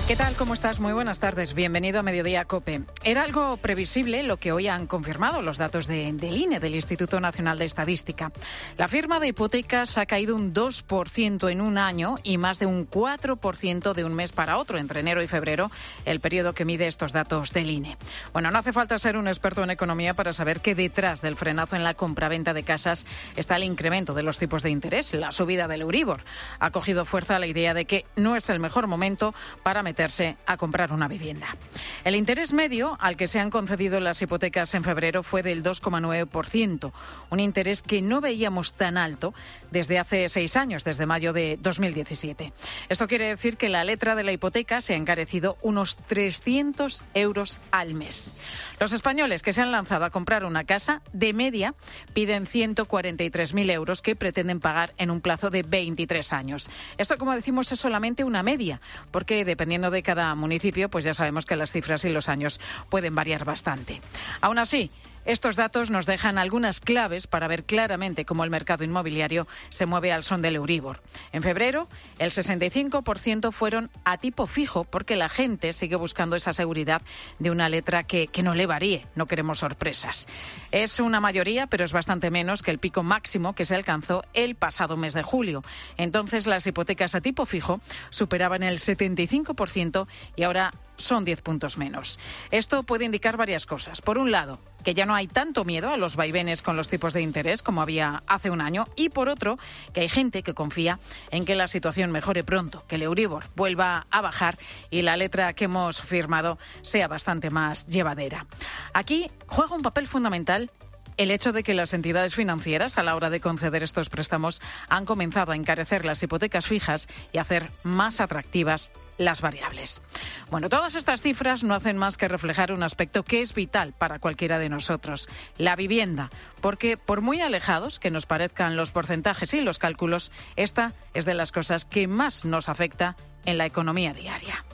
¿Qué tal? ¿Cómo estás? Muy buenas tardes. Bienvenido a Mediodía COPE. Era algo previsible lo que hoy han confirmado los datos del INE, del Instituto Nacional de Estadística. La firma de hipotecas ha caído un 2% en un año y más de un 4% de un mes para otro, entre enero y febrero, el periodo que mide estos datos del INE. Bueno, no hace falta ser un experto en economía para saber que detrás del frenazo en la compraventa de casas está el incremento de los tipos de interés, la subida del Euribor. Ha cogido fuerza la idea de que no es el mejor momento para meterse a comprar una vivienda. El interés medio al que se han concedido las hipotecas en febrero fue del 2,9%, un interés que no veíamos tan alto desde hace 6 años, desde mayo de 2017. Esto quiere decir que la letra de la hipoteca se ha encarecido unos 300 euros al mes. Los españoles que se han lanzado a comprar una casa, de media, piden 143.000 euros que pretenden pagar en un plazo de 23 años. Esto, como decimos, es solamente una media, porque dependiendo de cada municipio, pues ya sabemos que las cifras y los años pueden variar bastante. Aún así, estos datos nos dejan algunas claves para ver claramente cómo el mercado inmobiliario se mueve al son del Euribor. En febrero, el 65% fueron a tipo fijo porque la gente sigue buscando esa seguridad de una letra que no le varíe. No queremos sorpresas. Es una mayoría, pero es bastante menos que el pico máximo que se alcanzó el pasado mes de julio. Entonces, las hipotecas a tipo fijo superaban el 75% y ahora son 10 puntos menos. Esto puede indicar varias cosas. Por un lado, que ya no hay tanto miedo a los vaivenes con los tipos de interés como había hace un año, y por otro, que hay gente que confía en que la situación mejore pronto, que el Euribor vuelva a bajar y la letra que hemos firmado sea bastante más llevadera. Aquí juega un papel fundamental el hecho de que las entidades financieras, a la hora de conceder estos préstamos, han comenzado a encarecer las hipotecas fijas y a hacer más atractivas las variables. Bueno, todas estas cifras no hacen más que reflejar un aspecto que es vital para cualquiera de nosotros, la vivienda, porque por muy alejados que nos parezcan los porcentajes y los cálculos, esta es de las cosas que más nos afecta en la economía diaria.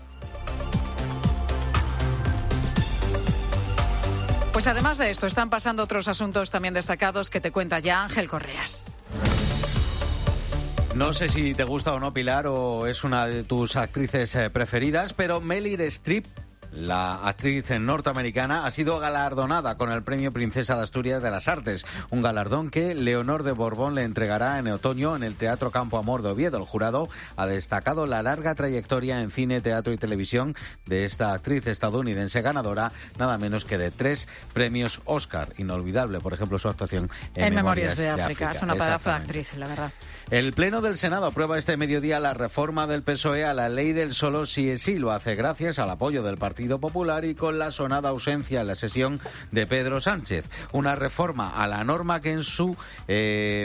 Pues además de esto, están pasando otros asuntos también destacados que te cuenta ya Ángel Correas. No sé si te gusta o no, Pilar, o es una de tus actrices preferidas, pero Meryl Streep, la actriz norteamericana, ha sido galardonada con el Premio Princesa de Asturias de las Artes, un galardón que Leonor de Borbón le entregará en otoño en el Teatro Campo Amor de Oviedo. El jurado ha destacado la larga trayectoria en cine, teatro y televisión de esta actriz estadounidense, ganadora nada menos que de 3 premios Oscar. Inolvidable, por ejemplo, su actuación en Memorias de África. Es una pedazo de actriz, la verdad. El Pleno del Senado aprueba este mediodía la reforma del PSOE a la ley del solo sí es sí. Lo hace gracias al apoyo del Partido Popular y con la sonada ausencia en la sesión de Pedro Sánchez. Una reforma a la norma que en su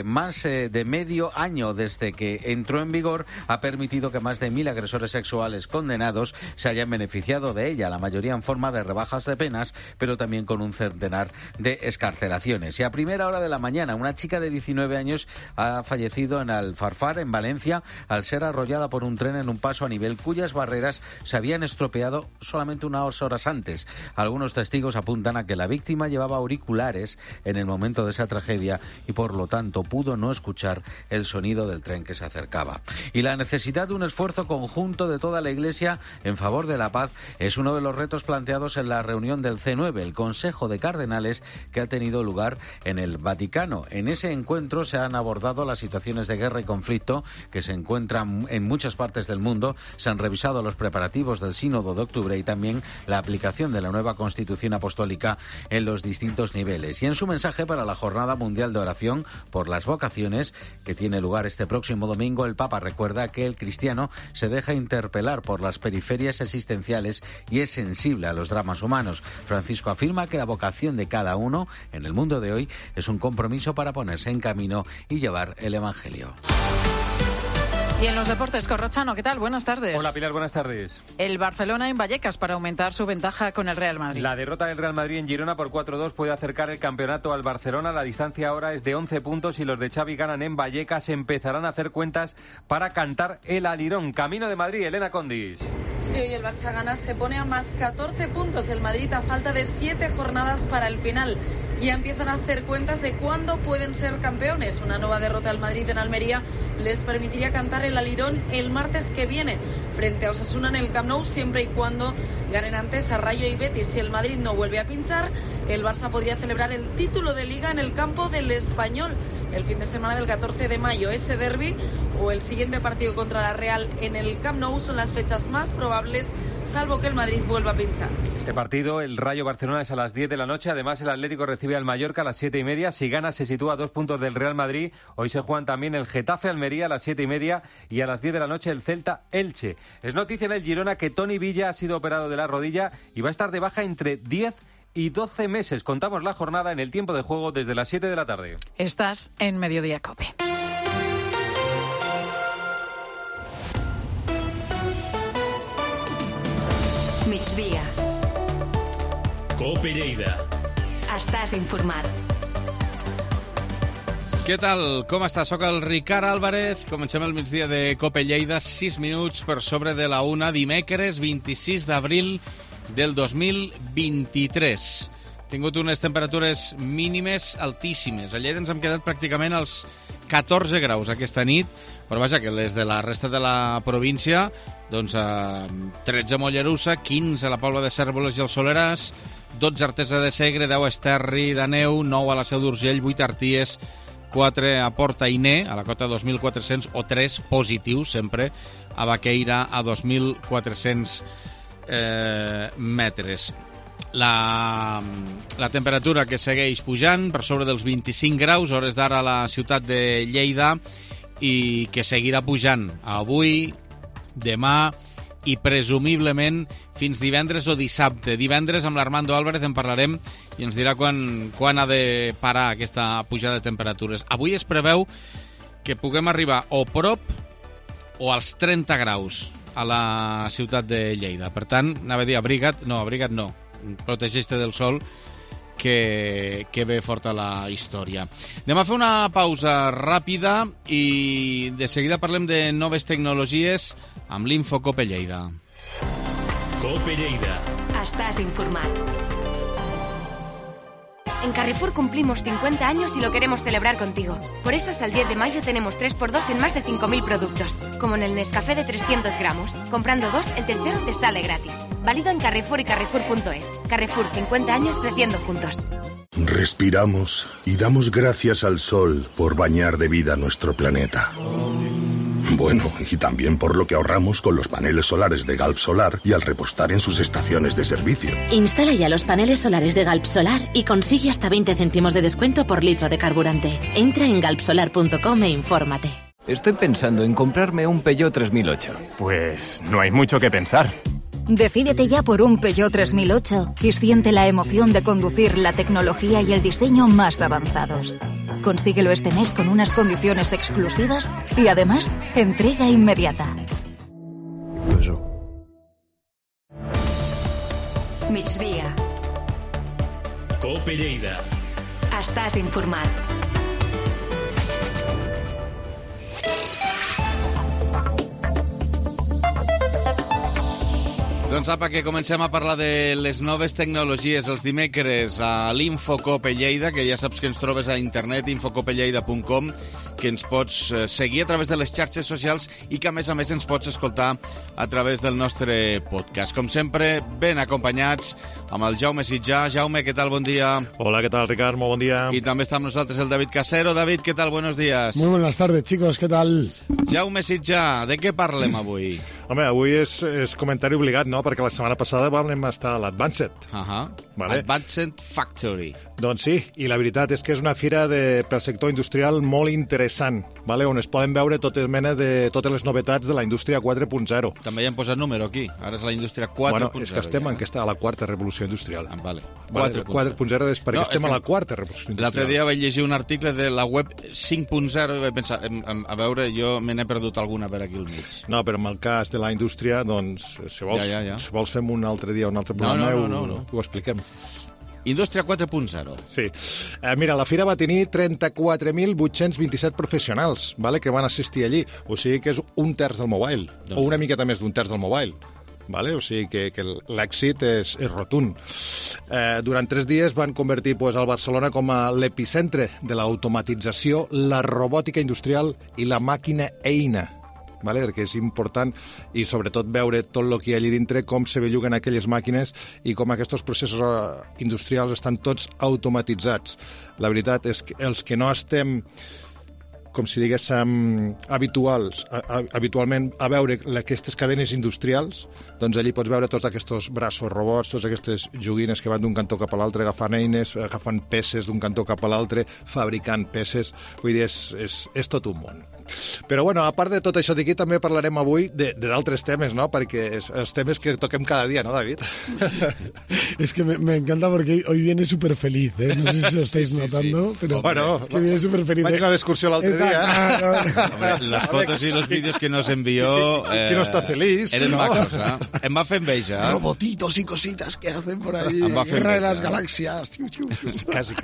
más de medio año desde que entró en vigor ha permitido que más de 1.000 agresores sexuales condenados se hayan beneficiado de ella, la mayoría en forma de rebajas de penas, pero también con un centenar de excarcelaciones. Y a primera hora de la mañana, una chica de 19 años ha fallecido en Alfarfar, en Valencia, al ser arrollada por un tren en un paso a nivel cuyas barreras se habían estropeado solamente unas horas antes. Algunos testigos apuntan a que la víctima llevaba auriculares en el momento de esa tragedia y por lo tanto pudo no escuchar el sonido del tren que se acercaba. Y la necesidad de un esfuerzo conjunto de toda la Iglesia en favor de la paz es uno de los retos planteados en la reunión del C9, el Consejo de Cardenales, que ha tenido lugar en el Vaticano. En ese encuentro se han abordado las situaciones de guerra y conflicto que se encuentran en muchas partes del mundo, se han revisado los preparativos del Sínodo de octubre y también la aplicación de la nueva Constitución Apostólica en los distintos niveles. Y en su mensaje para la Jornada Mundial de Oración por las Vocaciones, que tiene lugar este próximo domingo, el Papa recuerda que el cristiano se deja interpelar por las periferias existenciales y es sensible a los dramas humanos. Francisco afirma que la vocación de cada uno en el mundo de hoy es un compromiso para ponerse en camino y llevar el Evangelio. Y en los deportes, Corrochano, ¿qué tal? Buenas tardes. Hola, Pilar, buenas tardes. El Barcelona en Vallecas para aumentar su ventaja con el Real Madrid. La derrota del Real Madrid en Girona por 4-2 puede acercar el campeonato al Barcelona. La distancia ahora es de 11 puntos y los de Xavi ganan en Vallecas. Empezarán a hacer cuentas para cantar el alirón. Camino de Madrid, Elena Condis. Si hoy el Barça gana, se pone a más 14 puntos del Madrid a falta de 7 jornadas para el final. Ya empiezan a hacer cuentas de cuándo pueden ser campeones. Una nueva derrota al Madrid en Almería les permitiría cantar el alirón el martes que viene frente a Osasuna en el Camp Nou, siempre y cuando ganen antes a Rayo y Betis. Si el Madrid no vuelve a pinchar, el Barça podría celebrar el título de Liga en el campo del Español el fin de semana del 14 de mayo. Ese derbi o el siguiente partido contra la Real en el Camp Nou son las fechas más probables, salvo que el Madrid vuelva a pinchar. Este partido, el Rayo Barcelona, es a las 10 de la noche. Además, el Atlético recibe al Mallorca a las 7:30. Si gana, se sitúa a 2 puntos del Real Madrid. Hoy se juegan también el Getafe Almería a las 7:30 y a las 10 de la noche el Celta Elche. Es noticia en el Girona que Toni Villa ha sido operado de la rodilla y va a estar de baja entre 10 y 12 meses. Contamos la jornada en el tiempo de juego desde las 7 de la tarde. Estás en Mediodía COPE. Migdia. COPE Lleida. Estàs informat. Què tal? Com està? Soc el Ricard Álvarez. Comencem el migdia de COPE Lleida, 6 minuts per sobre de la 1, dimecres 26 d'abril del 2023. Tingut unes temperatures mínimes altíssimes. A Lleida ens hem quedat pràcticament als 14 graus aquesta nit, però vaja, que les de la resta de la província, doncs 13 a Mollerussa, 15 a la Pobla de Cérvoles i el Soleràs, 12 a Artesa de Segre, 10 a Esterri d'Àneu, 9 a la Seu d'Urgell, 8 a Arties, 4 a Port-Ainé, a la cota 2.400, o 3 positius, sempre, a Baqueira, a 2.400 metres. La temperatura que segueix pujant per sobre dels 25 graus, hores d'ara a la ciutat de Lleida, i que seguirà pujant avui, demà i presumiblement fins divendres o dissabte. Divendres amb l'Armando Álvarez en parlarem i ens dirà quan ha de parar aquesta pujada de temperatures. Avui es preveu que puguem arribar o prop o als 30 graus a la ciutat de Lleida. Per tant, anava a dir abriga't no, protegeix-te del sol, que ve forta la història. Anem a fer una pausa ràpida i de seguida parlem de noves tecnologies amb l'Info COPE Lleida. COPE Lleida. Estàs informat. En Carrefour cumplimos 50 años y lo queremos celebrar contigo. Por eso hasta el 10 de mayo tenemos 3x2 en más de 5.000 productos. Como en el Nescafé de 300 gramos. Comprando 2, el tercero te sale gratis. Válido en Carrefour y Carrefour.es. Carrefour, 50 años creciendo juntos. Respiramos y damos gracias al sol por bañar de vida nuestro planeta. Bueno, y también por lo que ahorramos con los paneles solares de Galp Solar y al repostar en sus estaciones de servicio. Instala ya los paneles solares de Galp Solar y consigue hasta 20 céntimos de descuento por litro de carburante. Entra en galpsolar.com e infórmate. Estoy pensando en comprarme un Peugeot 3008. Pues no hay mucho que pensar. Decídete ya por un Peugeot 3008 y siente la emoción de conducir la tecnología y el diseño más avanzados. Consíguelo este mes con unas condiciones exclusivas y además entrega inmediata. Migdia. COPE Lleida. Estàs informat. Doncs apa, que comencem a parlar de les noves tecnologies els dimecres a l'Infocope Lleida, que ja saps que ens trobes a internet, infocopelleida.com, que ens pots seguir a través de les xarxes socials i que, a més ens pots escoltar a través del nostre podcast. Com sempre, ben acompanyats amb el Jaume Sitjà. Jaume, què tal? Bon dia. Hola, ¿qué tal, Ricard? Muy buen día. I també està amb nosaltres el David Casero. David, què tal? Buenos días. Muy buenas tardes, chicos. ¿Qué tal? Jaume Sitjà, de què parlem avui? Home, avui és comentari obligat, no?, perquè la setmana passada vam estar a l'Advanced. Vale? Advanced Factory. Doncs sí, i la veritat és que és una fira pel sector industrial molt interessant, vale? On es poden veure totes les novetats de la indústria 4.0. També hi han posat número aquí, ara és la indústria 4.0. Bueno, és que estem a la quarta revolució industrial. Vale. 4.0 és perquè estem a la quarta revolució industrial. L'altre dia vaig llegir un article de la web 5.0 i vaig pensar, a veure, jo me n'he perdut alguna per aquí al mig. No, però en el cas de la indústria, doncs, si vols fem un altre dia, un altre programa, ho expliquem. Indústria 4.0. Sí. Mira, la fira va tenir 34.827 professionals, vale, que van assistir allí. O sigui que és un terç del mobile, o una miqueta més d'un terç del mobile. Vale? O sigui que l'èxit és rotund. Durant 3 dies van convertir el Barcelona com a l'epicentre de l'automatització, la robòtica industrial i la màquina eina. Vale? Perquè és important i sobretot veure tot el que hi ha allà dintre, com se belluguen aquelles màquines i com aquests processos industrials estan tots automatitzats. La veritat és que els que no estem, com si diguéssim, habitualment a veure aquestes cadenes industrials, doncs allí pots veure tots aquests braços robots, totes aquestes joguines que van d'un cantó cap a l'altre, agafant eines, agafant peces d'un cantó cap a l'altre, fabricant peces. Vull dir, és tot un món. Però, bueno, a part de tot això d'aquí, també parlarem avui d'altres temes, ¿no? Perquè els temes que toquem cada dia, ¿no, David? Es que me encanta porque hoy viene súper feliz, ¿eh? No sé si lo estáis notando, pero bueno, es que viene súper feliz. Vaig a una excursió l'altre dia. Las fotos y los vídeos que nos envió... Que no está feliz. Eren macos, ¿no? Em va fer enveja. Robotitos y cositas que hacen por ahí. Guerra de las galaxias. Quasi.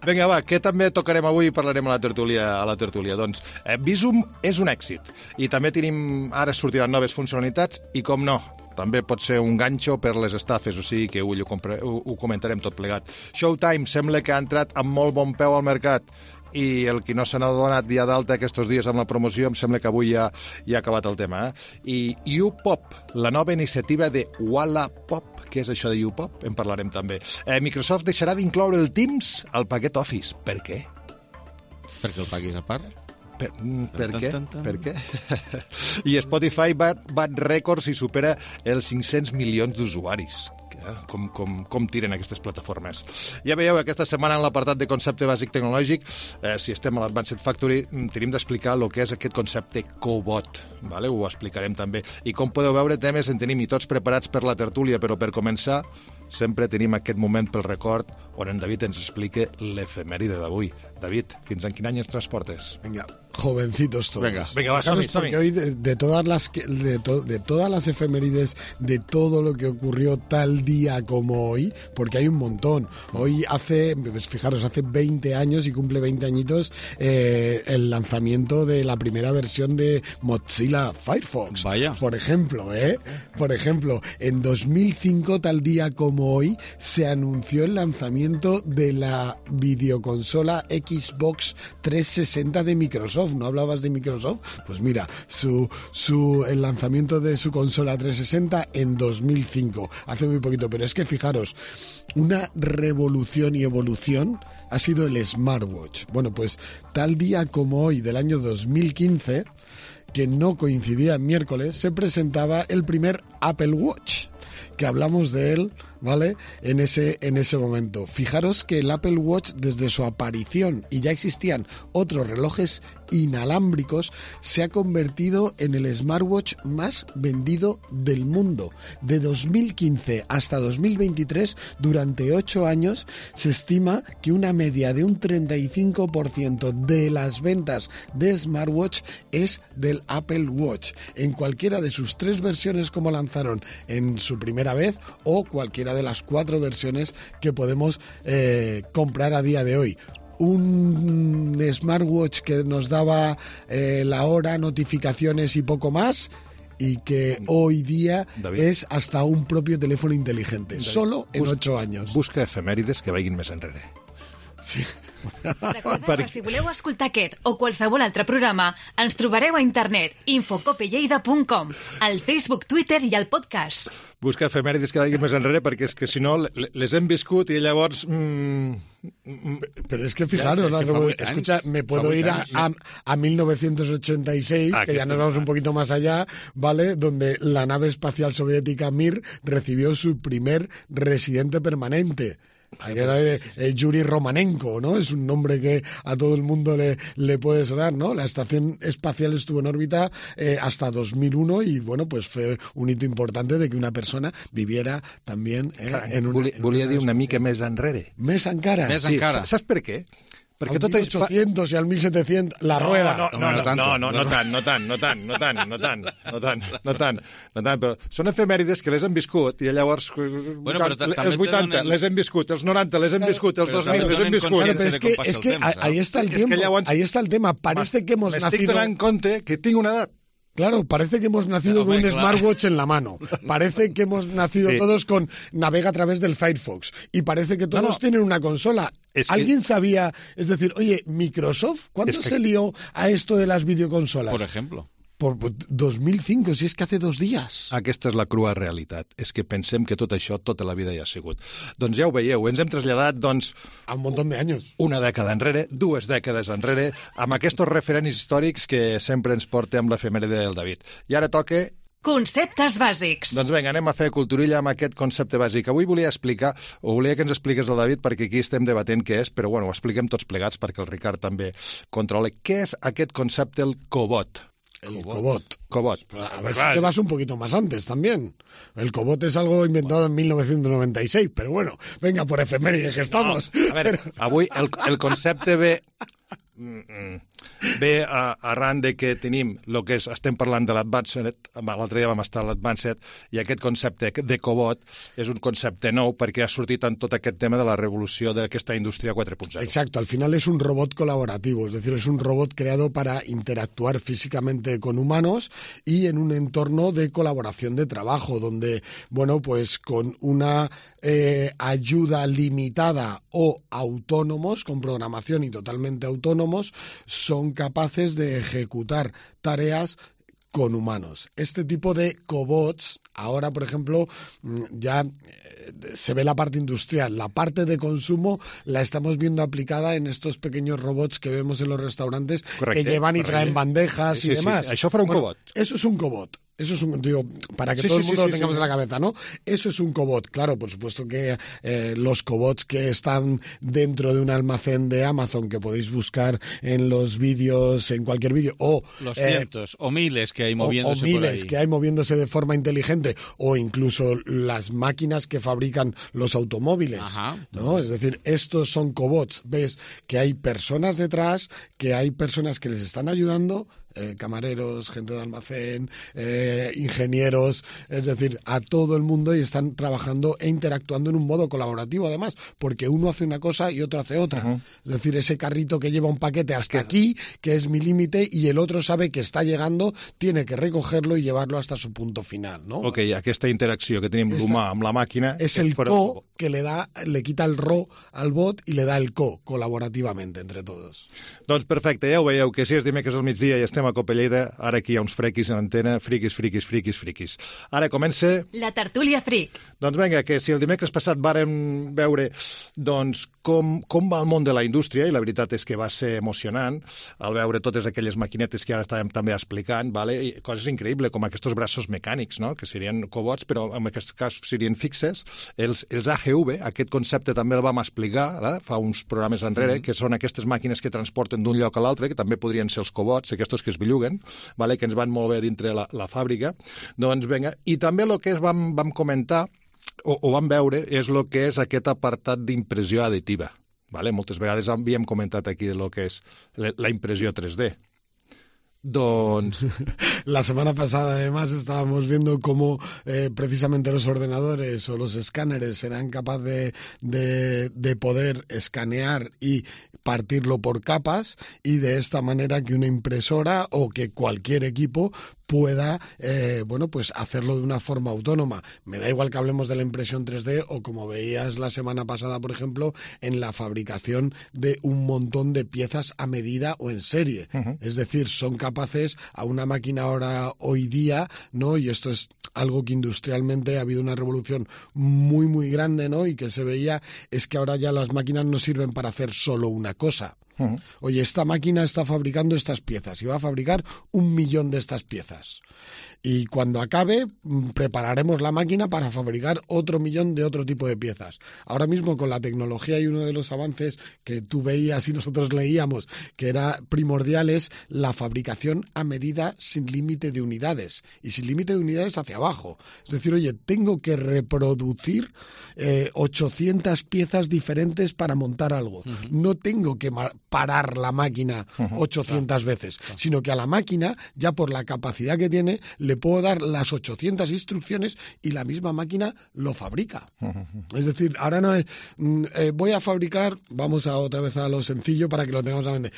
Vinga, va, què també tocarem avui i parlarem a la tertúlia? Doncs Visum és un èxit i també tenim, ara sortiran noves funcionalitats i, com no, també pot ser un ganxo per les estafes, o sigui que avui ho comentarem tot plegat. Showtime sembla que ha entrat amb molt bon peu al mercat i el que no se n'ha donat dia d'alta aquests dies amb la promoció, em sembla que avui ja ha acabat el tema. I YouPop, la nova iniciativa de Wallapop. Què és això de YouPop? En parlarem també. Microsoft deixarà d'incloure el Teams al paquet Office. Per què? Perquè el paguis a part? Per què? Per què? I Spotify bat rècords i supera els 500 milions d'usuaris. Com tiren aquestes plataformes. Ja veieu, aquesta setmana en l'apartat de concepte bàsic tecnològic, si estem a l'Advanced Factory, tenim d'explicar el que és aquest concepte cobot. Vale? Ho explicarem també. I com podeu veure, temes en tenim i tots preparats per la tertúlia, però per començar sempre tenim aquest moment pel record on en David ens explica l'efemèride d'avui. David, fins en quin any ens transportes? Venga, jovencitos todos. Venga, va, porque hoy de todas las efemérides, de todo lo que ocurrió tal día como hoy, porque hay un montón. Hoy fijaros, hace 20 años y cumple 20 añitos el lanzamiento de la primera versión de Mozilla Firefox. Vaya. Por ejemplo, en 2005, tal día como hoy, se anunció el lanzamiento de la videoconsola Xbox 360 de Microsoft. ¿No hablabas de Microsoft? Pues mira, el lanzamiento de su consola 360 en 2005, hace muy poquito. Pero es que fijaros, una revolución y evolución ha sido el smartwatch. Bueno, pues tal día como hoy del año 2015, que no coincidía en miércoles, se presentaba el primer Apple Watch, que hablamos de él, ¿vale?, en ese momento. Fijaros que el Apple Watch, desde su aparición, y ya existían otros relojes inalámbricos, se ha convertido en el smartwatch más vendido del mundo. De 2015 hasta 2023, durante 8 años, se estima que una media de un 35% de las ventas de smartwatch es del Apple Watch, en cualquiera de sus 3 versiones como lanzaron en su primera vez, o cualquiera de las 4 versiones que podemos comprar a día de hoy. Un smartwatch que nos daba la hora, notificaciones y poco más, y que hoy día és hasta un propio teléfono inteligente, solo en 8 anys. Busca efemèrides que vagin més enrere. Sí. Recordeu que si voleu escoltar aquest o qualsevol altre programa, ens trobareu a internet infocopelleida.com, al Facebook, Twitter i al podcast. Busca efemèrides que vagin més enrere, perquè és que si no les hem viscut i llavors... Pero es que fijaros, escucha, me puedo ir a 1986, que ya nos vamos un poquito más allá, ¿vale? Donde la nave espacial soviética Mir recibió su primer residente permanente. Era Yuri Romanenko, ¿no? Es un nombre que a todo el mundo le puede sonar, ¿no? La estación espacial estuvo en órbita hasta 2001 y, bueno, pues fue un hito importante de que una persona viviera también en un... Volia dir una mica més enrere. Més encara. Sí, saps per què? Perquè al 1800 i al 1700, la rueda. No tant, però són efemèrides que les hem viscut i llavors els 80 les hem viscut, els 90 les hem viscut, els 2000 les hem viscut. Pero es que ahí está el tiempo, ahí está el tema. Parece que hemos nacido... M'estic donant compte que tinc una edat. Claro, parece que hemos nacido con un smartwatch en la mano. Parece que hemos nacido todos con navega a través del Firefox. Y parece que todos tienen una consola. ¿Alguien sabía? Es decir, oye, Microsoft, ¿cuándo se lió a esto de las videoconsolas? Por ejemplo. Por 2005, si és que hace 2 dies. Aquesta és la crua realitat. És que pensem que tot això tota la vida ja ha sigut. Doncs ja ho veieu, ens hem traslladat, doncs... A un munt d'anys. Una dècada enrere, 2 dècades enrere, amb aquests referents històrics que sempre ens porta amb l'efemèride del David. I ara toca... Conceptes bàsics. Doncs vinga, anem a fer culturilla amb aquest concepte bàsic. Avui volia explicar, o volia que ens expliqués el David, perquè aquí estem debatent què és, però bueno, ho expliquem tots plegats perquè el Ricard també controla. Què és aquest concepte, el cobot? El cobot. A ver si te vas un poquito más antes también. El cobot es algo inventado en 1996, pero bueno, venga, por efemérides que estamos. A veure, avui el concepte ve arran de que tenim el que és, estem parlant de l'Advanced, l'altre dia vam estar a l'Advanced, i aquest concepte de cobot és un concepte nou perquè ha sortit en tot aquest tema de la revolució d'aquesta indústria 4.0. Exacto, al final es un robot colaborativo, es decir, es un robot creado para interactuar físicamente con humanos y en un entorno de colaboración de trabajo, donde, bueno, pues con una ayuda limitada o autónomos, con programación y totalmente autónomos, son capaces de ejecutar tareas con humanos. Este tipo de cobots, ahora, por ejemplo, ya se ve la parte industrial. La parte de consumo la estamos viendo aplicada en estos pequeños robots que vemos en los restaurantes. Correcte, que llevan y traen bandejas y demás. Sí. Això farà un cobot. Eso es un cobot. Eso es un, digo, para que todo el mundo lo tengamos en la cabeza, ¿no? Eso es un cobot. Claro, por supuesto que los cobots que están dentro de un almacén de Amazon que podéis buscar en los vídeos, en cualquier vídeo, o... Los cientos o miles que hay moviéndose por ahí. O miles que hay moviéndose de forma inteligente, o incluso las máquinas que fabrican los automóviles, ¿no? Es decir, estos son cobots. Ves que hay personas detrás, que hay personas que les están ayudando, camareros, gente de almacén, ingenieros, es decir, a todo el mundo, y están trabajando e interactuando en un modo colaborativo, además, porque uno hace una cosa y otro hace otra. Es decir, ese carrito que lleva un paquete hasta aquí, que es mi límite, y el otro sabe que está llegando, tiene que recogerlo y llevarlo hasta su punto final, ¿no? Ok, aquesta interacció que tenim l'humà amb la màquina... És el co que le quita el ro al bot i le da el co, colaborativamente, entre todos. Doncs perfecte, ja ho veieu, que si és dimecres al migdia i estem a Copa Lleida, ara aquí hi ha uns frequis en antena, friquis. Ara comença... La tertúlia fric. Doncs vinga, que si el dimecres passat vàrem veure doncs, com va el món de la indústria, i la veritat és que va ser emocionant al veure totes aquelles maquinetes que ara estàvem també explicant, vale? I coses increïbles, com aquests braços mecànics, no? Que serien cobots, però en aquest cas serien fixes. Els AGV, aquest concepte també el vam explicar fa uns programes enrere, que són aquestes màquines que transporten d'un lloc a l'altre, que també podrien ser els cobots, aquests que es belluguen, vale? Que ens van molt bé dintre la fàbrica. Doncs vinga, i també el que vam comentar, o vam veure, és el que és aquest apartat d'impressió additiva. Vale? Moltes vegades havíem comentat aquí el que és la impressió 3D. La semana pasada, además, estábamos viendo cómo precisamente los ordenadores o los escáneres serán capaces de poder escanear y partirlo por capas y de esta manera que una impresora o que cualquier equipo pueda pues hacerlo de una forma autónoma. Me da igual que hablemos de la impresión 3D o, como veías la semana pasada, por ejemplo, en la fabricación de un montón de piezas a medida o en serie. Es decir, son capaces a una máquina ahora hoy día, ¿no? Y esto es algo que industrialmente ha habido una revolución muy, muy grande, ¿no? Y que se veía, es que ahora ya las máquinas no sirven para hacer solo una cosa. Oye, esta máquina está fabricando estas piezas y va a fabricar 1 millón de estas piezas. Y cuando acabe, prepararemos la máquina para fabricar otro 1 millón de otro tipo de piezas. Ahora mismo, con la tecnología, y uno de los avances que tú veías y nosotros leíamos que era primordial, es la fabricación a medida sin límite de unidades. Y sin límite de unidades hacia abajo. Es decir, oye, tengo que reproducir 800 piezas diferentes para montar algo. No tengo que parar la máquina 800 veces, sino que a la máquina, ya por la capacidad que tiene, le puedo dar las 800 instrucciones y la misma máquina lo fabrica. Es decir, ahora no es voy a fabricar, vamos otra vez a lo sencillo para que lo tengamos a mente,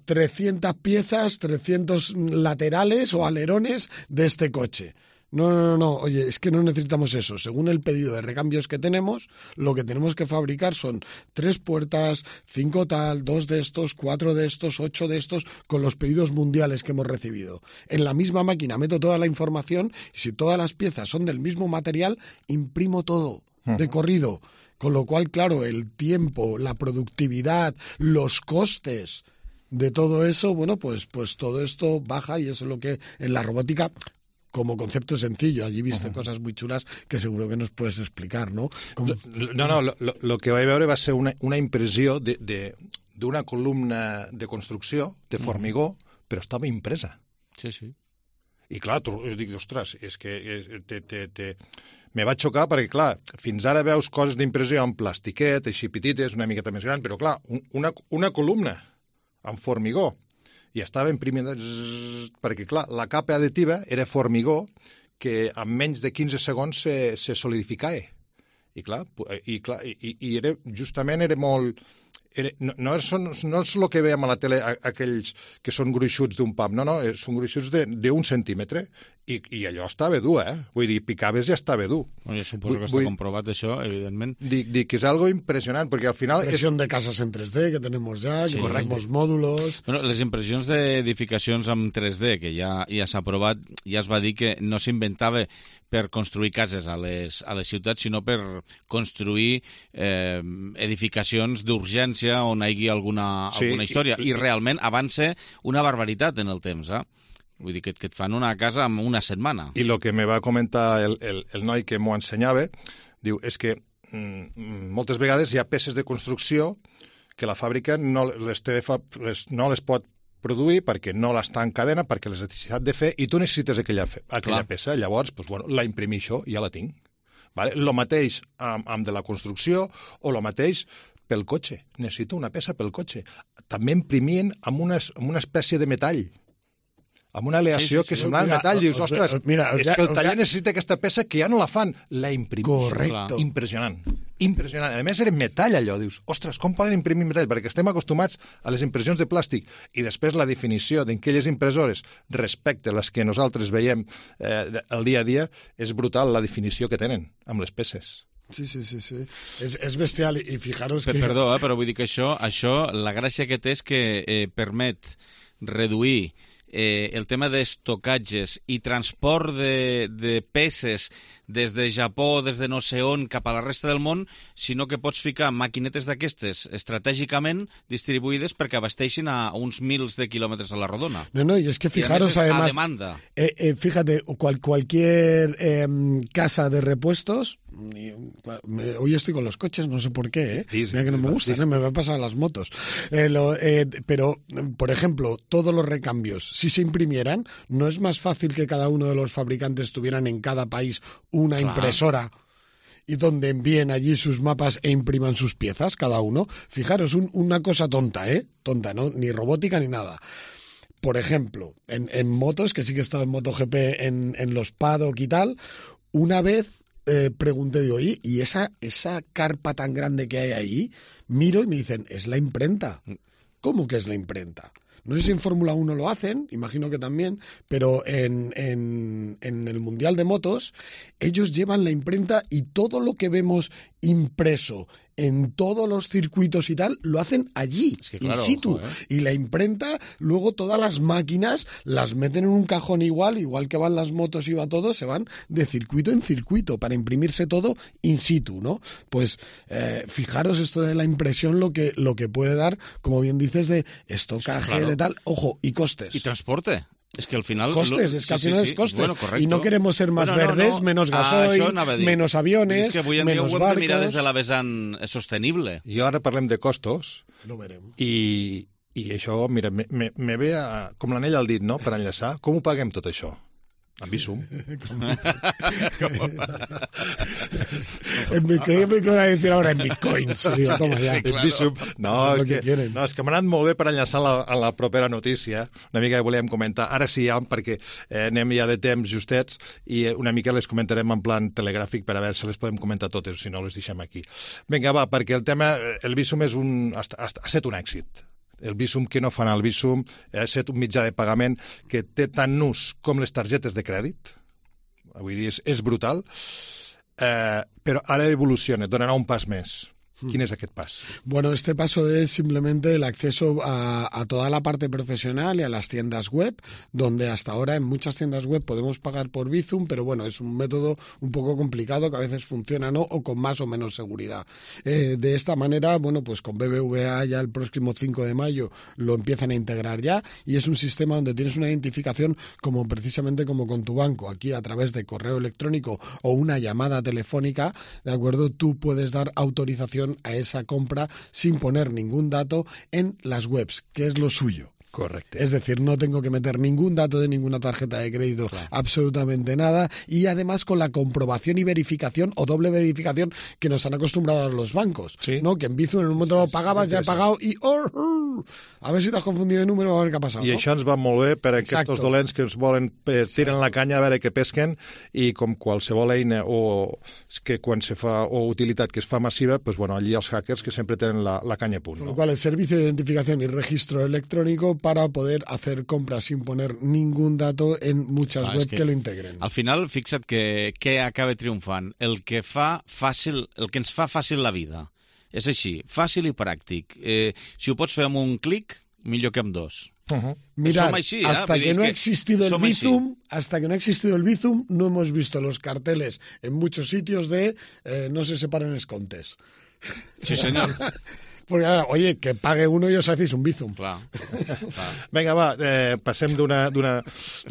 300 piezas, 300 laterales o alerones de este coche. No. Oye, es que no necesitamos eso. Según el pedido de recambios que tenemos, lo que tenemos que fabricar son 3 puertas, 5 tal, 2 de estos, 4 de estos, 8 de estos, con los pedidos mundiales que hemos recibido. En la misma máquina meto toda la información y si todas las piezas son del mismo material, imprimo todo de corrido. Con lo cual, claro, el tiempo, la productividad, los costes de todo eso, bueno, pues todo esto baja y eso es lo que en la robótica... Como concepto sencillo, allí viste cosas muy chulas que seguro que nos puedes explicar, ¿no? Lo que vaig veure va ser una impressió d'una columna de construcció, de formigó, però estava impresa. Sí. I clar, dic, ostres, és que me va xocar perquè, clar, fins ara veus coses d'impressió en plastiquet, així petites, una miqueta més gran, però clar, una columna en formigó, i estava imprimint perquè, clar, la capa additiva era formigó que en menys de 15 segons se solidificava. I clar, era, justament era molt... No és el que veiem a la tele, aquells que són gruixuts d'un pam, no, són gruixuts d'1 centímetre, i allò estava dur, Vull dir, picaves i estava dur. Oye, suposo que està comprovat això, evidentment. Dic que és algo impressionant, perquè al final... Impresión de casas en 3D, que tenemos ya, que corregimos módulos... Bueno, les impressions d'edificacions amb 3D, que ja s'ha aprovat, ja es va dir que no s'inventava per construir cases a les ciutats, sinó per construir edificacions d'urgència on hi hagi alguna història. I realment avança una barbaritat en el temps, Vull dir que et fan una casa en una setmana. I el que me va comentar el noi que m'ho ensenyava, diu, és que moltes vegades hi ha peces de construcció que la fàbrica no les pot produir perquè no l'està en cadena, perquè les necessitat de fer, i tu necessites aquella peça. Llavors, la imprimixo i ja la tinc. Lo mateix amb de la construcció o lo mateix pel cotxe. Necessito una peça pel cotxe. També imprimien amb una espècie de metall, amb una aleació que semblava metall. Dius, ostres, és que el taller necessita aquesta peça que ja no la fan. La imprimeixo. Correcte. Impressionant. A més, era metall allò. Dius, ostres, com poden imprimir metall? Perquè estem acostumats a les impressions de plàstic. I després la definició d'aquelles impressores respecte a les que nosaltres veiem el dia a dia és brutal, la definició que tenen amb les peces. Sí. És bestial. I fijaros que... Perdó, però vull dir que això, la gràcia que té és que permet reduir el tema d'estocatges i transport de peces des de Japó, des de no sé on, cap a la resta del món, sinó que pots ficar maquinetes d'aquestes estratègicament distribuïdes perquè abasteixin a uns mils de quilòmetres a la rodona. No, y es que fijaros, además, a demanda. Fíjate, cualquier casa de repuestos, hoy estoy con los coches, no sé por qué, mira que no me gusta, me va a pasar a las motos. Pero, por ejemplo, todos los recambios, si se imprimieran, ¿no es más fácil que cada uno de los fabricantes tuvieran en cada país una impresora y donde envíen allí sus mapas e impriman sus piezas cada uno? Fijaros, una cosa tonta, tonta, ¿no? Ni robótica ni nada. Por ejemplo, en motos, que sí que he estado en MotoGP en los paddock y tal, una vez pregunté, digo, oye, ¿y esa carpa tan grande que hay ahí? Miro y me dicen, es la imprenta. ¿Cómo que es la imprenta? No sé si en Fórmula 1 lo hacen, imagino que también, pero en el Mundial de Motos ellos llevan la imprenta y todo lo que vemos impreso en todos los circuitos y tal, lo hacen allí, es que claro, in situ. ojo, Y la imprenta, luego todas las máquinas las meten en un cajón igual que van las motos y va todo, se van de circuito en circuito para imprimirse todo in situ, ¿no? Pues fijaros esto de la impresión lo que puede dar, como bien dices, de estocaje, claro, de tal, ojo, y costes. Y transporte. Es que al final... Costes, es que al final es costes. Bueno, correcto. Y no queremos ser más verdes, menos gasoil, menos aviones, és que avui en dia ho hem de mirar des de la vessant sostenible. I ara parlem de costos. Lo verem. I això, mira, me ve com l'anell al dit, no?, per enllaçar. Com ho paguem tot això? Amb Bizum. Creía que iba a decir ahora en bitcoins. Digo, toma ya. Sí, claro. Bizum. No, és que m'ha anat molt bé per enllaçar a la propera notícia. Una mica que volíem comentar. Ara sí, ja, perquè anem ja de temps justets i una mica les comentarem en plan telegràfic per a veure si les podem comentar totes, si no les deixem aquí. Vinga, va, perquè el tema, el Bizum ha estat un èxit. El Bizum, que no fan el Bizum, ha estat un mitjà de pagament que té tant ús com les targetes de crèdit. Vull dir, és brutal. Però ara evoluciona, donarà un pas més. ¿Quién es aquest pas? Bueno, este paso es simplemente el acceso a toda la parte profesional y a las tiendas web, donde hasta ahora en muchas tiendas web podemos pagar por Bizum, pero bueno, es un método un poco complicado que a veces funciona no o con más o menos seguridad. De esta manera, bueno, pues con BBVA ya el próximo 5 de mayo lo empiezan a integrar ya y es un sistema donde tienes una identificación como precisamente como con tu banco. Aquí a través de correo electrónico o una llamada telefónica, ¿de acuerdo? Tú puedes dar autorización a esa compra sin poner ningún dato en las webs, que es lo suyo. Correcto. Es decir, no tengo que meter ningún dato de ninguna tarjeta de crédito, claro, absolutamente nada, y además con la comprobación y verificación o doble verificación que nos han acostumbrado a los bancos, ¿sí? ¿No? Que en Bizum en un momento pagabas, ya he pagado y a ver si te has confundido de número, a ver qué ha pasado. I això ens va molt bé per a aquests dolents que ens volen tiren la canya a veure què pesquen i com qualsevol eina o que quan se fa o utilitat que es fa massiva, pues bueno, allí els hackers que sempre tenen la canya a punt. Con lo cual el servicio de identificación y registro electrónico para poder hacer compras sin poner ningún dato en muchas webs que lo integren. Al final, fixa't que acaba triomfant. El que ens fa fàcil la vida. És així, fàcil i pràctic. Si ho pots fer amb un clic, millor que amb dos. Mirad, hasta que no ha existido el Bizum, no hemos visto los carteles en muchos sitios de no se separen escontes. Sí, senyor. Porque, oye, que pague uno y os hacéis un Bizum. Clar. Vinga, va, passem d'una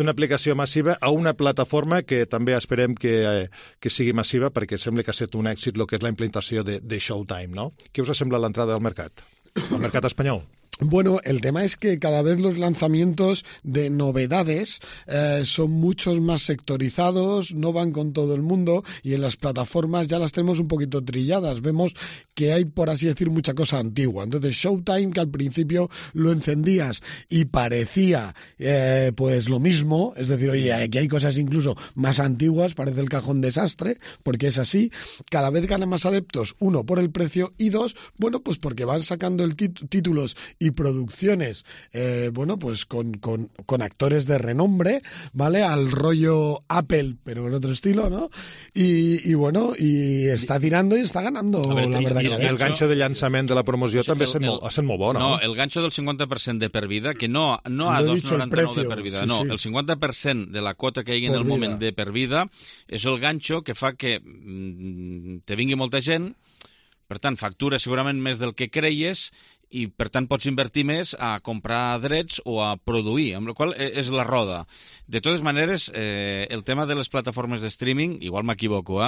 aplicació massiva a una plataforma que també esperem que sigui massiva perquè sembla que ha estat un èxit el que és la implantació de Showtime, no? Què us sembla l'entrada al mercat espanyol? Bueno, el tema es que cada vez los lanzamientos de novedades son muchos más sectorizados, no van con todo el mundo y en las plataformas ya las tenemos un poquito trilladas. Vemos que hay, por así decir, mucha cosa antigua. Entonces, Showtime, que al principio lo encendías y parecía pues lo mismo, es decir, oye, aquí hay cosas incluso más antiguas, parece el cajón desastre, porque es así. Cada vez ganan más adeptos, uno, por el precio y dos, bueno, pues porque van sacando títulos y producciones, bueno, pues con actores de renombre, ¿vale? Al rollo Apple, pero en otro estilo, ¿no? Y bueno, y está tirando y está ganando, la verdad. I el ganxo de llançament de la promoció també ha estat molt bo, no? No, el ganxo del 50% de per vida, que no a 2,99 de per vida, no, el 50% de la quota que hi ha en el moment de per vida és el ganxo que fa que te vingui molta gent, per tant, factura segurament més del que creies i, per tant, pots invertir més a comprar drets o a produir, amb la qual és la roda. De totes maneres, el tema de les plataformes de streaming, igual m'equivoco,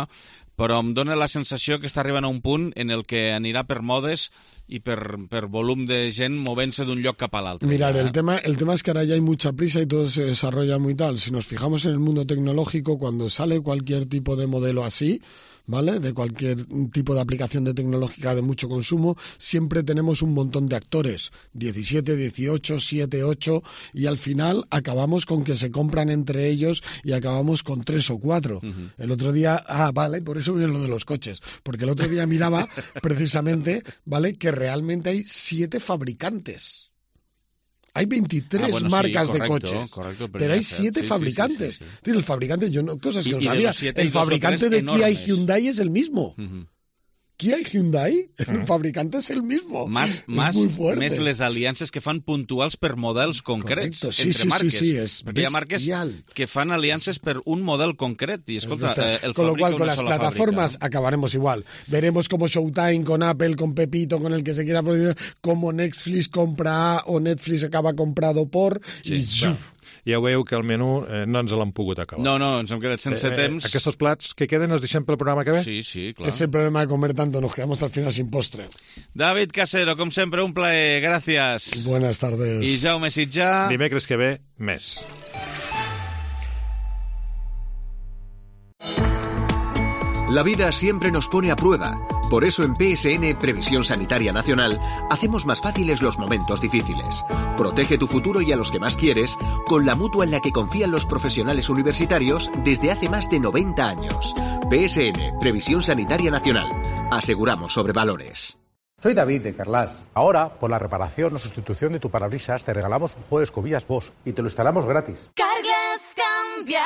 però em dóna la sensació que està arribant a un punt en el que anirà per modes y per volum de gent movent-se d'un lloc cap a l'altre. Mirad, el tema es que ahora ya hay mucha prisa y todo se desarrolla muy tal. Si nos fijamos en el mundo tecnológico, cuando sale cualquier tipo de modelo así, ¿vale? De cualquier tipo de aplicación de tecnológica de mucho consumo, siempre tenemos un montón de actores, 17, 18, 7, 8, y al final acabamos con que se compran entre ellos y acabamos con 3 o 4. El otro día, vale, por eso viene lo de los coches, porque el otro día miraba precisamente, ¿vale?, que realmente hay 7 fabricantes. Hay 23 marcas de coches, pero hay 7 fabricantes. Sí. El fabricante, cosas que no sabía. El fabricante de Kia y Hyundai es el mismo. Kia i Hyundai, el fabricante és el mismo. Més les aliances que fan puntuals per models concrets entre marques. Sí, perquè hi ha marques que fan aliances per un model concret. Y escolta, el con lo cual, con las plataformas acabaremos igual. Veremos como Showtime, con Apple, con Pepito, con el que se quiera, como Netflix compra A o Netflix acaba comprado por... Ja veieu que el menú no ens l'han pogut acabar. No, ens hem quedat sense temps. Aquests plats que queden els deixem pel programa que ve? Sí, clar. Es el problema de comer tanto, nos quedamos al final sin postre. David Casero, com sempre, un plaer. Gràcies. Buenas tardes. I Jaume Sitjà. Dimecres que ve, més. La vida siempre nos pone a prueba. Por eso en PSN, Previsión Sanitaria Nacional, hacemos más fáciles los momentos difíciles. Protege tu futuro y a los que más quieres con la mutua en la que confían los profesionales universitarios desde hace más de 90 años. PSN, Previsión Sanitaria Nacional. Aseguramos sobre valores. Soy David de Carglass. Ahora, por la reparación o sustitución de tu parabrisas, te regalamos un juego de escobillas Bosch y te lo instalamos gratis. Carglass cambia,